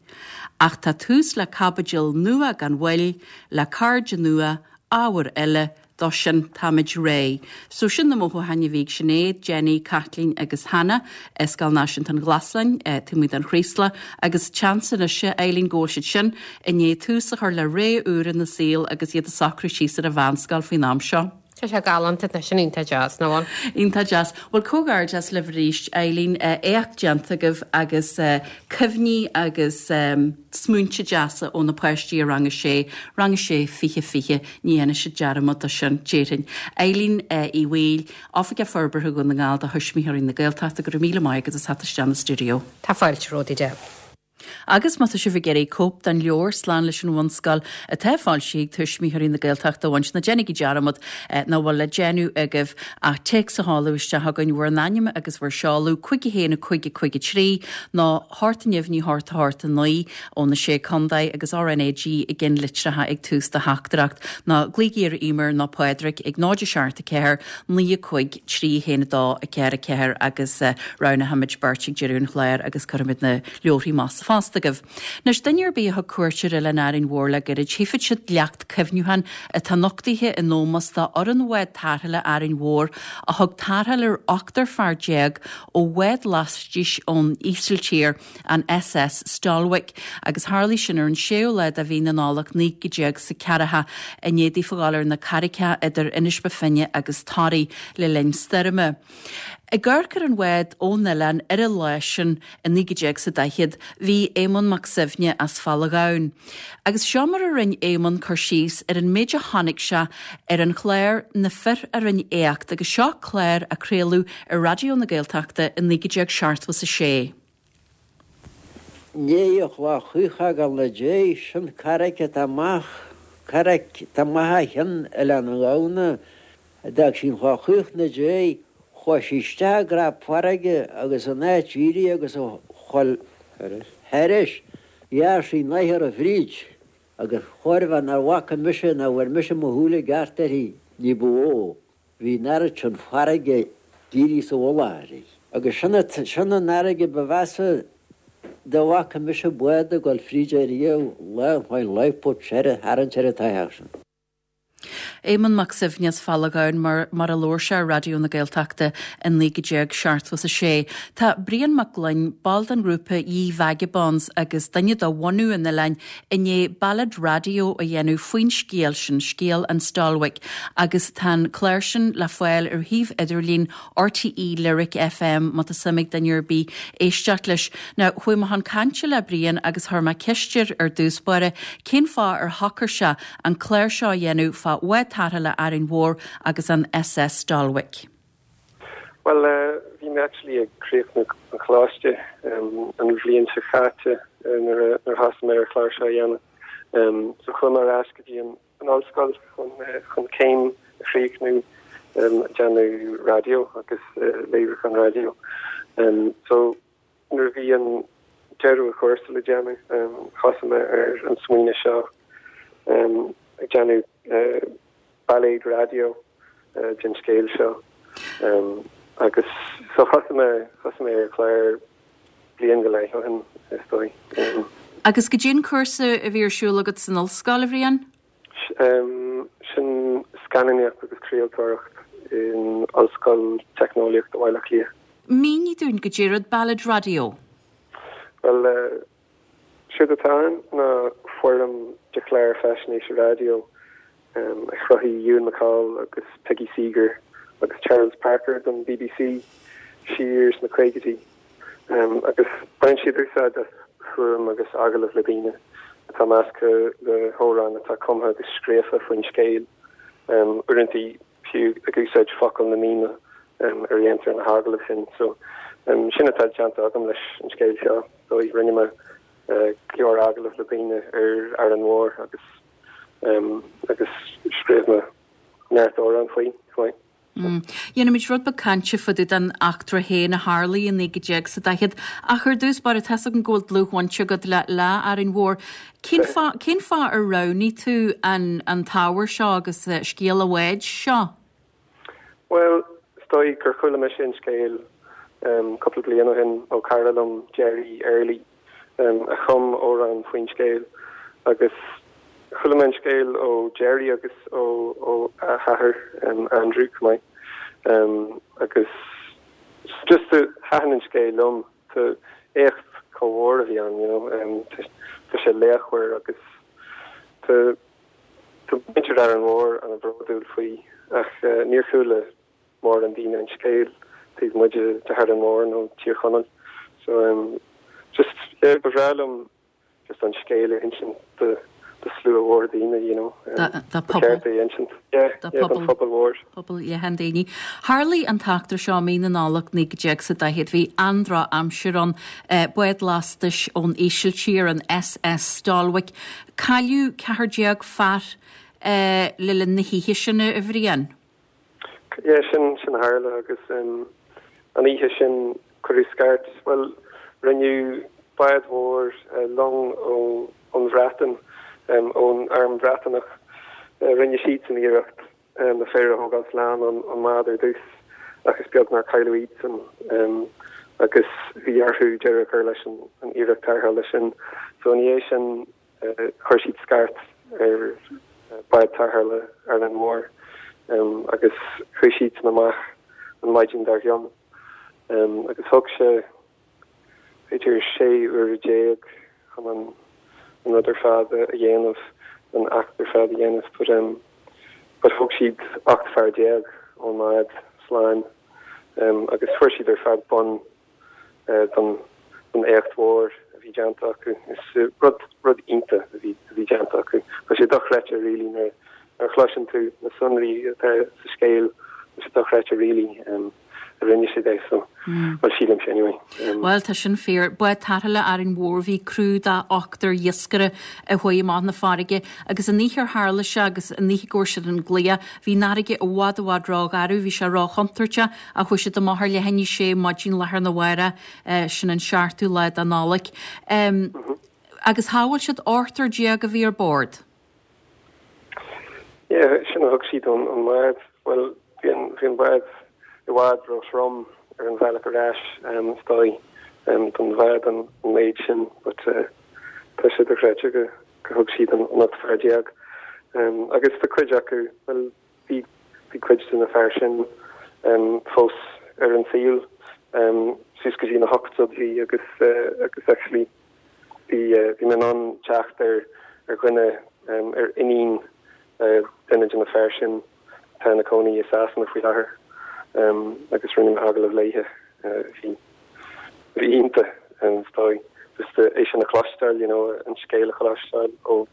Ach tá tús le caibidil nua gan mhoill, le cairde nua, ábhair eile, dó sin táimid réidh. So sin na mothúcháin a bhí ag Sinéad, Jenny, Caitlín agus Hannah i Scoil Náisiúnta an Ghlasáin, taobh amuigh den Chraoslach agus seans anois, a Eileen, go bhfuil siad sin i ndiaidh tús a chur le ré úr ina saol agus iad ag socrú síos ar an mheánscoil faoin am seo. Tá sé galánta, tá sin iontach deas, nach bhfuil? Iontach deas. Bhuel, comhghairdeas libh arís, Eileen. Éacht déanta agaibh agus cuimhní agus smaointe deasa ó na páistí i Rang a Sé, Rang a Sé 20 20, ní dhéanfaidh siad dearmad de sin, déarfainn. Eileen Uí Bhaoill, Oifigeach Forbartha Dhún na nGall do Thuismitheoirí na Gaeltachta, go raibh míle maith agat as theacht isteach 'na stiúideo. Tá fáilte romhat, a Deb. Agus má tá sibh ag iarraidh cóip den leabhar Slán leis an Bhunscoil atá foilsithe ag Tuismitheoirí na Gaeltachta a bhaint, ná déanaigí dearmad nach bhfuil le déanamh agaibh ach téacs a sheoladh isteach chugainn, bhur n-ainm agus bhur seoladh, 5 1 5 5 3 nó 8 neamhní 8 8 9 ó na Sé Contae agus RnaG i gceannlitreacha ag tús do theachtaireacht nó glaoigí ar Emer nó Pádraig ag 0 7 4 9 5 3 1 2 4 4 agus roghnóimid beirt ag deireadh an chláir agus cuirfimid na leabharthaí amach sa phost agaibh. Anois, duine ar bith a thug cuairt ar Oileán Árainn Mhór le gairid, tchífidh siad leacht cuimhniúcháin atá nochtaithe in ómós do fhoireann bhád tarrthála Árainn Mhór a thug tarrtháil ar ochtar fear déag ó bhád laistíos ón Ísiltír, an SS Stolwijk, agus tharlaigh sin ar an séú lá de mhí na Nollag 1940, i ndiaidh daofa dhul ar na carraigeacha idir Inis Bó Finne agus Toraigh le linn stoirme. Ag amharc ar an bhád ón oileán ar an lá sin i 1940 bhí Éamonn Mac Suibhne as Falla Ghamhain. Agus seo mar a rinne Éamonn cur síos ar an méid a chonaic sé ar an chlár Na Fir a Rinne Éacht agus seo clár a craoladh ar Raidió na Gaeltachta i 1976. Ndiaidh an Chloich Chaoch a fhágáil na dé, sin carraic atá amach, carraic atá amach ó chionn Oileán an Ghamhna, a d'fhág sí an Chloich Chaoch na dé, chuaigh sí isteach i gcrap farraige agus in áit éirí agus a dhul thairis, ghearr sí nathair fríd agus chóir a bheith nach bhfaca mise ná bhfuair mise mo shúile i gceart uirthi ní ba mhó. Bhí an oiread sin farraige dírithe sa mhullach uirthi. Agus sin sin an fharraige ba mheasa dá bhfaca mise bád ag dul fríd ariamh, lá an lifeboat a tharraingt ar an tsoitheach sin. Éamonn Mac Suibhne as Falla Ghamhain mar mar a labhair sé ar Raidió na Gaeltachta i 1976. Tá Brian Mac Gloinn, ball den ghrúpa Ye Vagabonds agus duine de bhunadh an oileáin, i ndiaidh bailéad raidió a dhéanamh faoin scéal sin, scéal an Stolwijk, agus tá an clár sin le fáil ar shuíomh idirlín RTÉ Lyric FM má tá suim ag duine ar bith éisteacht leis. Now, chuaigh mé chun cainte le Brian agus chuir mé ceist air ar dtús báire cén fáth ar shocair sé an clár seo a dhéanamh fá bhád tarrthála Árainn Mhór agus an SS Stolwijk. Bhuel, bhí mé actually ag críochnú an choláiste an bhliain seo chaite nuair a thosaigh mé ar an chlár seo a dhéanamh. So chuaigh mé ar ais go dtí an ollscoil chun chun céim a chríochnú ag déanamh raidió agus léiriúchán raidió. So nuair a bhí an deireadh an chúrsa le déanamh, thosaigh mé ar an smaoineamh seo ag déanamh bailéad raidió den scéal seo. Agus so thosaigh mé, thosaigh mé ar an chlár bliain go leith ó shin, is dóigh. Agus goidé an cúrsa a bhí ar siúl agat san ollscoil, a Bhriain? Sin scannánaíocht agus craoltóireacht in Ollscoil Teicneolaíochta Bhaile Átha Cliath. Mínigh dúinn goidé rud Ballad Raidió. Bhuel, séard atá ann ná foirm de chlár faisnéise raidió a chruthaigh Ewan MacColl agus Peggy Seeger agus Charles Parker don bbc siar sna caogaidí. Agus baineann siad úsáid as fuaim agus agallaimh le daoine atá measctha le hamhráin atá cumtha agus scríofa faoin scéal, uaireanta fiú ag úsáid focail na ndaoine ar a dhéantar na hagallaimh sin. So sin atá déanta agam leis an scéal seo. So rinne mé go leor agallamh le daoine ar Árainn Mhór agus agus scríobh mé neart amhrán faoi chomh maith. Dhéanfaimid rud beag cainte fá dtaobh den eachtra féin a tharlaigh i 1940, ach ar dtús báire, tá's agam go bhfuil dlúthbhaint agat le le Árainn Mhór. Cén fáth, cén fáth ar roghnaigh tú an an t-ábhar seo agus scéal an bháid seo? Bhuel, is dóigh gur chuala mise an scéal cúpla bliain ó shin ó chara liom, Gerry Early. a chum amhrán faoin scéal agus chuala mé an scéal ó Gerry agus ó a hathair Andrew chomh maith agus just thaitin an scéal liom. Tá éacht chomh mhór a bhí ann, you know, tá sé laochmhar agus tá muintir Árainn Mhór an-bhródúil faoi ach níor chuala mórán daoine an scéal taobh amuigh de Árainn Mhór nó Tír Chonaill. So um just yeah ba bhreá liom just an scéal a insint do do slua mhór daoine you know. Do Ba cheart é a insint. Yeah, yeah don phobal mhór. Pobal leathan daoine. Tharlaigh an t-eachtra seo i mí na Nollag 1940. Bhí an-droch-aimsir ann. Bád lastais ón Ísiltír, an SS Stolwijk. Cailleadh 14 fear le linn na hoíche sin, a Bhriain. Yeah, sin, sin a tharla agus an oíche sin cuireadh scairt, bhuel, rinneadh bád mhór, long ó, ón Bhreatain, ón Arm Bhreatanach, rinne siadsan iarracht na fir a thógáil slán ón mbád ar dtús ach is beag nár cailleadh iadsan agus bhí orthu deireadh a chur leis an iarracht tarrthála sin. So ina dhiaidh sin, Chuir siad scairt ar bád tarrthála Árainn Mhór agus chuaigh siadsan amach an maidin dár gcionn agus thóg sé b'fhéidir 16 uaire chun an rud ar fad a dhéanamh, an eachtra ar fad a dhéanamh but but thóg siad 18 fear ón mbád slán agus fuair siad ar fad bonn don éacht mhór a bhí déanta acu. Is rud, rud iontach a bhí, a bhí déanta acu. Tá sé dochreidte really nuair a chloiseann tú na sonraí atá sa scéal, tá sé dochreidte really a rinne siad é so, bhuel sílimse anyway. Bhuel tá sin fíor. Bád tarrthála Árainn Mhór bhí criú de ochtar iascaire a chuaigh amach na farraige agus an oíche ar tharla sé agus an oíche go bhfuair siad an glaoch, bhí an fharraige i bhfad i bhfad rógharbh, bhí sé róchontúirteach Ach chuaigh siad amach ar leath i ndiaidh a sé maidin lá arna mhárach, sin an seachtú lá de Nollaig. Agus shábháil siad ochtar déag a bhí ar bord. Yeah, sin a thug siad ón mbád. Bhuel, bhí an, bhí an bád i bhfad ró-throm ar an bhealach ar ais, is dóigh, don bhád an méid sin, but tá sé dochreidte go, go thug siad an 18 fear. Agus tá cuid acu, bhuel, Bhí cuid de na fear sin fós ar an saol suas go dtí na hochtóidí agus agus actually bhí bhí mé in ann teacht ar ar dhuine ar iníon duine de na fear sin atá ina cónaí i Sasana faoi láthair agus rinne mé agallamh léithe. Bhí bhí iontach is dóigh just é sin a chloisteáil you know an scéal a chloisteáil ó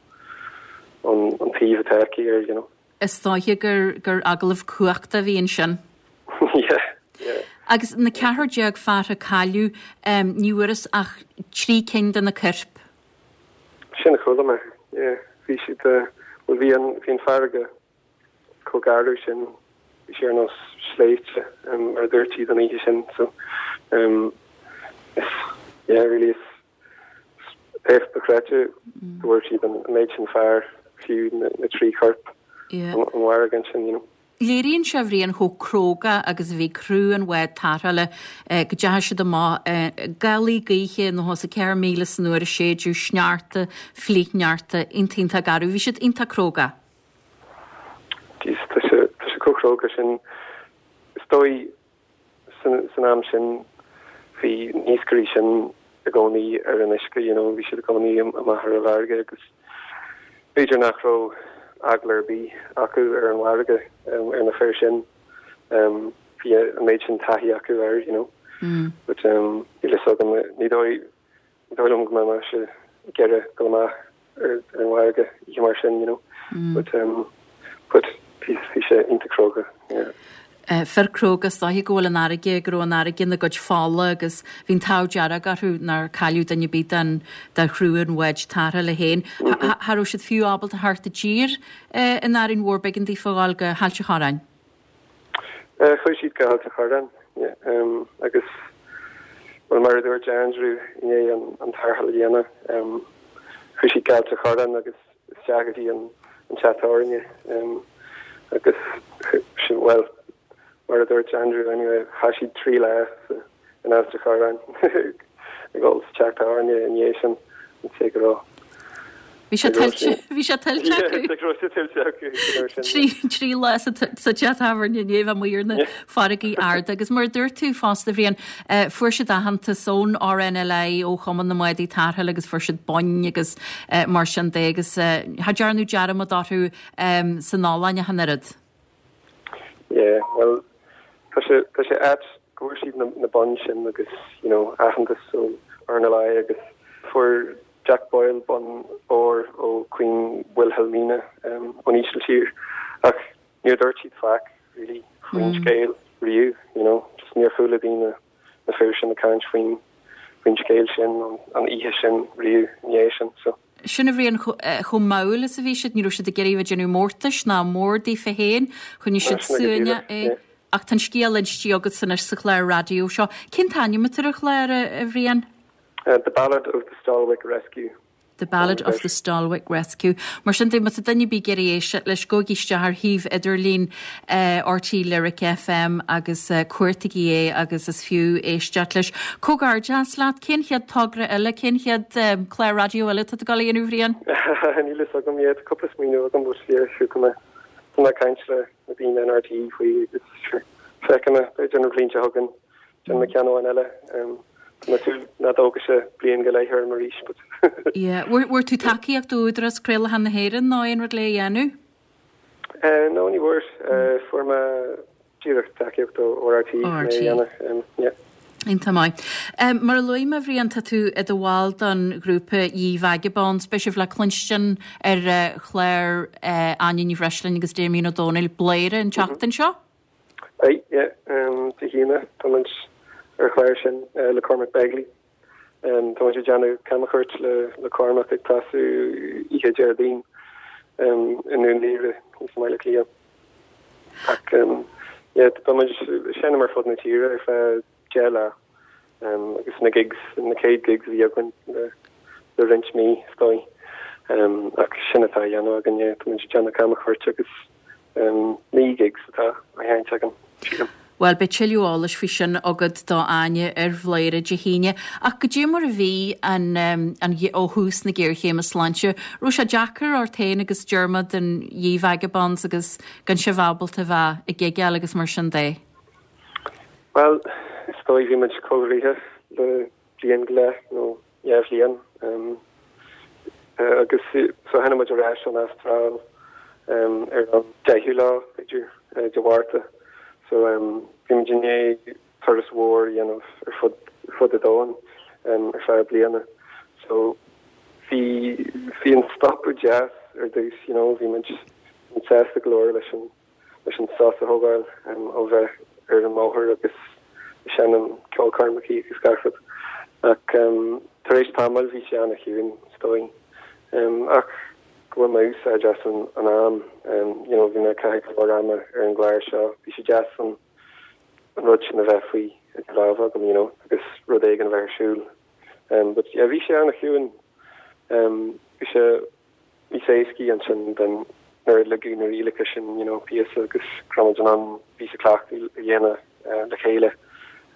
an taobh atá aici air you know. Is dóiche gur gur agallamh cumhachtach a bhí ansin. Yeah, yeah. Agus na 14 fear a cailleadh, ní bhfuarthas ach trí cinn de na coirp. Sin a chuala mé, yeah. Bhí siad, bhuel bhí an, bhí an farraige chomh garbh sin, bhí sé ar nós sléibhte, mar a dúirt siad an oíche sin, so, is, yeah, really is, Éacht dochreidte go bhfuair siad an méid sin fear, fiú na trí chorp ón bhfarraige ansin, you know. Léiríonn sé, a Bhriain, chomh cróga agus a bhí criú an bháid tarrthála go dteachaigh siad amach i ngálaí gaoithe 94 míle san uair a séideadh, sneachta, flichshneachta, iontach iontach garbh. Bhí siad iontach cróga. Jeez, tá sé, tá sé chomh cróga sin. Is dóigh san am sin bhí na hiascairí sin i gcónaí ar an uisce, you know, bhí siad i gcónaí amach ar an bhfarraige agus b'fhéidir nach raibh eagla ar bith acu ar an bhfarraige, ar na fir sin. Bhí an méid sin taithí acu air, you know. But níl a fhios agam, ní dóigh, Ní dóigh liom go mbeadh mise ag iarraidh dul amach ar an bhfarraige oíche mar sin, you know. But um, but bhí bhí sé iontach cróga, yeah. Fir cróga, is dóiche go bhfuil an fharraige, go raibh an fharraige ina gcuid fola agus bhí an t-ádh dearg orthu nár cailleadh duine ar bith den de chriú an bháid tarrthála féin. Cha raibh siad fiú ábalta theacht i dtír in Árainn Mhór, b'éigean daofa a ghabháil go hAilt a' Chorráin. Chuaigh siad go hAilt a' Chorráin agus, bhuel, mar a dúirt Andrew i ndiaidh an tarrtháil a dhéanamh, chuaigh siad go hAilt a' Chorráin agus isteach go dtí an teach tábhairne agus, bhuel, mar a dúirt Andrew anyway, chaith siad 3 lá sa in Ailt a' Chorráin ag ól sa teach tábhairne i ndiaidh sin an té go raibh Bhí sé tuillte, bhí sé tuillte acu. Go raibh sé tuillte acu an uair sin. 3 lá sa teach tábhairne i ndiaidh bheith amuigh ar na farraigí arda agus mar a dúirt tú fosta, a Bhriain, fuair siad aitheantas ón RNLI, ó Chumann na mBádaí Tarrthála agus fuair siad boinn agus mar sin de agus cha dearnadh dearmad orthu san Ollainn ach an oiread. Yeah, bhuel, tá sé, tá sé ait go bhfuair siad na, na boinn sin agus, you know, aitheantas ó RNLI agus fuair Jack Boyle bonn óir ó Queen Wilhelmina um, ón Ísiltír ach níor dúirt siad faic, really, faoin scéal riamh, you know, just níor chuala daoine na fir sin ag caint faoin, faoin scéal sin, an, an oíche sin riamh i ndiaidh sin, so. Sin a Bhriain, chomh mall is a bhí siad, ní raibh siad ag iarraidh a bheith ag déanamh mórtais ná mór daofa féin, choinnigh siad suaimhneach é. Ach tá an scéal inste agatsa anois sa chlár raidió seo. Cén t-ainm atá ar an chlár, a Bhriain? The Ballad of the Stolwijk Rescue. The Ballad of the Stolwijk Rescue. Mar sin de, má tá duine ar bith ag iarraidh éisteacht leis, gabhaigí isteach ar shuíomh idirlín RTÉ Lyric FM agus cuartaigí é agus is fiú éisteacht leis. Comhghairdeas leat. Cén chéad togra eile, cén chéad clár raidió eile atá tú ag dul a dhéanamh, a Bhriain? Níl fhios agam yet. Cúpla smaoineamh agam but yeah, sure tá mé tá mé ag caint le na daoine in RTÉ faoi agus sure feicfidh mé b'fhéidir an bhliain seo chugainn déanfaidh mé ceann amháin eile. Tá mé ag súil nach dtógfaidh sé bliain go leith orm arís but. Yeah. Bhfuair tú tacaíocht ó Údarás Craolacháin na hÉireann nó aon rud le é a dhéanamh? No, ní bhfuair. Fuair mé díreach tacaíocht ó RTÉ chun é a dhéanamh. Yeah. Iontach maith. Mar a luaigh mé, a Bhriain, tá tú i do bhall don ghrúpa Ye Vagabonds. Beidh sibh le cluinstin ar chlár Áine Ní Bhreisleáin agus Damien Ó Dónaill, Bladhaire, an tseachtain seo? Beidh, yeah. Dé hAoine, tá muid ar an chlár sin le Cormac Begley. Tá muid ag déanamh camchuairt le Cormac ag tosú oíche Déardaoin i nDún Laoghaire thíos i mBaile Átha Cliath. Ach yeah, tá muid ag seinm ar fud na tíre ar feadh 10 lá agus na gigs, na chéad gigs a bhí againn le roinnt mí is dóigh. Ach sin atá á dhéanamh againn, yeah, tá muid ag déanamh camchuairt agus 9 gigs atá á sheinnt againn, sílim. Bhuel, beidh tuilleadh eolais faoi sin agat do Áine ar Bhladhaire Dé hAoine. Ach goidé mar a bhí an, an, ó thús na géarchéime sláinte, raibh sé deacair ort féin agus Dermot and Ye Vagabonds agus gan sibh ábalta bheith ag gigeáil agus mar sin de? Bhuel, is dóigh bhí muid cúlraithe le bliain go leith nó 2 bhliain agus so tháinig muid ar ais ón Astráil ar an 10ú lá, b'fhéidir, de Mhárta. So bhí muid i ndiaidh turas mhór a dhéanamh ar fud fud an domhain ar feadh bliana. So bhí bhí an stopadh deas ar dtús, you know, bhí muid sásta go leor leis an leis an sos a thógáil ó bheith ar an mbóthar agus ag seinm ceolchoirmeacha agus gach rud. Ach tar éis tamaill bhí sé ana-chiúin, is dóigh. Ach go bhfuil mé úsáid as an am, you know, bhí mé ag caitheamh go leor ama ar an gclár seo. Bhí sé deas an rud sin a bheith faoi idir lámha agam, you know, agus rud éigin a bheith ar siúl. But yeah, bhí sé ana-chiúin. Bhí sé níos éascaí ansin den. nuair a ligeadh na rialacha sin you know píosa agus go raibh muid in ann píosa cleachtaidh a dhéanamh le chéile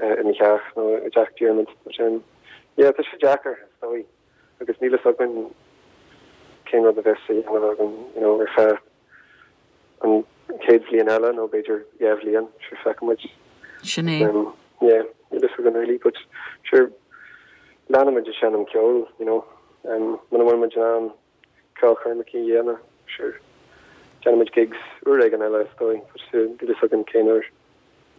i mo theach nó i dteach Diarmuid. But um yeah tá sé deacair is dóigh agus níl fhios againn cén rud a bheas a dhéanamh againn you know ar feadh an chéad bhliain eile nó b'fhéidir 2 bhliain, sure feicfidh muid. Sin é. Yeah, níl fhios againn really but sure leanfaidh muid ag seinm ceoil, you know, muna bhfuil muid in ann ceolchoirmeacha a dhéanamh, sure déanfaidh muid gigs uair éigin eile is dóigh but níl fhios againn cén uair.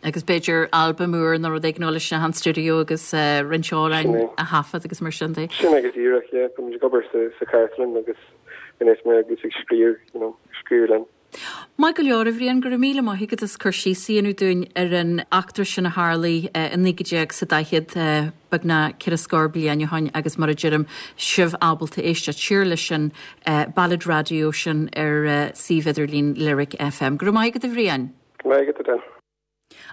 Agus b'fhéidir albam úr nó rud éigin a dhul isteach an stiúideo agus roinnt amhráin a thaifead agus mar sin de. Sin é go díreach, yeah. Tá muid ag obair sa chartlann agus anois mé agus ag scríobh, you know, scríobh linn. Maith go leor, a Bhriain, go raibh míle maith agat as cur síos a dhéanamh dúinn ar an eachtra sin a tharlaigh i 19 sa 40, beagnach 4 scór bliain ó shoin agus mar a deirim, sibh ábalta éisteacht siar leis an Ballad Raidió sin ar suíomh idirlín Lyric FM. Go raibh maith agat, a Bhriain. Go raibh maith agat, Edel.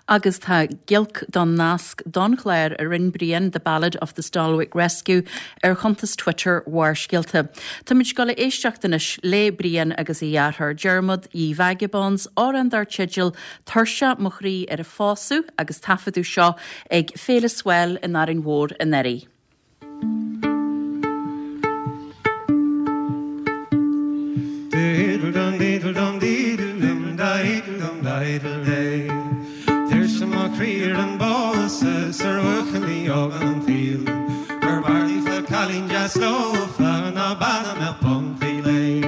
Agus tá giolc don nasc don chlár a rinne Brian, The Ballad of the Stolwick Rescue, ar chuntas Twitter Bharrscéalta. Táimid ag dul a éisteacht anois le Brian agus a dheartháir Diarmuid, Ye Vagabonds, amhrán dar teideal Tuirseach mo chroí ar an phósadh agus taifeadadh seo ag Féile Swell in Árainn Mhór anuraidh. Tuirseach mo chroí ar an bpósadh 's ar bhuachaillí óga an tsaoil Gur b'fhearr líofa cailín deas leofa ná bean a mbeadh poncaí léi.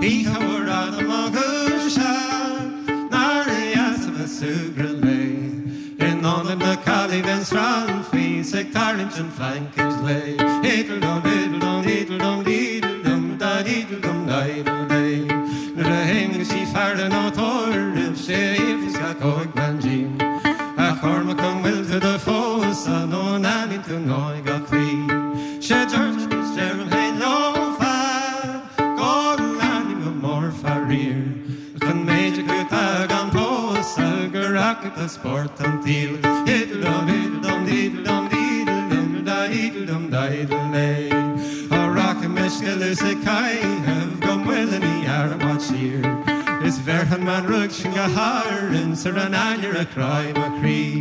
Oíche mhór fhada mo dhúiseacht nár dheas a bheith ag súgradh léi. In ionad na caillí bheinn srannfaí 's ag tarraingt an phlaincid léi. Diddle dum diddle dum diddle dum diddle dum da diddle dum diddle day. Nuair a théann sí faire nó tórraimh 'sé a fhiafraíos gach óigbean díom. A Chormaic an bhfuil tú do phósadh nó an aithníonn tú náigh gach claí. 'Sé deirim is deirim féin leofa go n-aithním go mór faraor. Ach an méid acu atá gan pósadh gur acu tá spórt an tsaoil. Diddle dum diddle dum diddle dum diddle dum diddle dum diddle lay. Á rachaidh mé sciolladh 's ag caitheamh go Muileann i gCearr i bhfad siar. Is bhéarfaidh an mbean ruadh sin go hÁrainn 's ar an ainnir a chráigh mo chroí.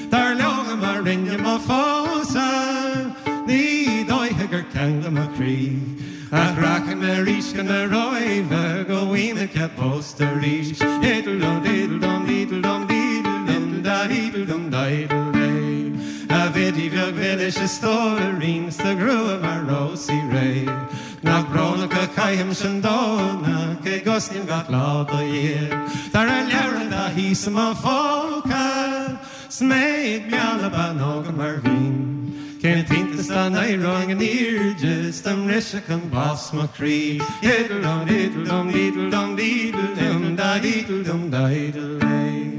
Dar leo má rinne mo phósadh ní dóiche gur ceangladh mo chroí. Ach rachaidh mé arís chun na Róimhe go bhfaighidh mé cead pósta arís. Diddle dum diddle dum diddle dum diddle dum da diddle dum diddle day. A Bhiddy bheag mhilis a stóirín 's do ghrua mar rósaí réidh. Nach brónach a chaithimse an Domhnach cé gcosnaím gach lá do Dhia. Dar an leabhar atá thíos i mo phóca. 'S mé ag mealladh ban óga mar bhínn. Cén t-iontas dá n-éireoinn in airde 's dá mbrisfeadh an bás mo chroí. Diddle dum diddle dum diddle dum diddle dum da diddle dum diddle day.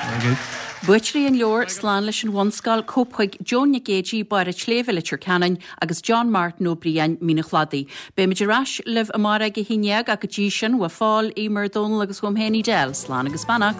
Very good. Buaiteoirí an leabhair Slán leis an Bhunscoil, cóip chuig Joan Nic Géidigh, Barr an tSléibhe, Leitir Ceanainn, agus John Martin Ó Briain, Mín an Chladaigh. Beimid ar ais libh amárach ag a 11 ach go dtí sin, uaidh Phól, Eimear, Dónal agus uaim féin Edel, slán agus beannacht.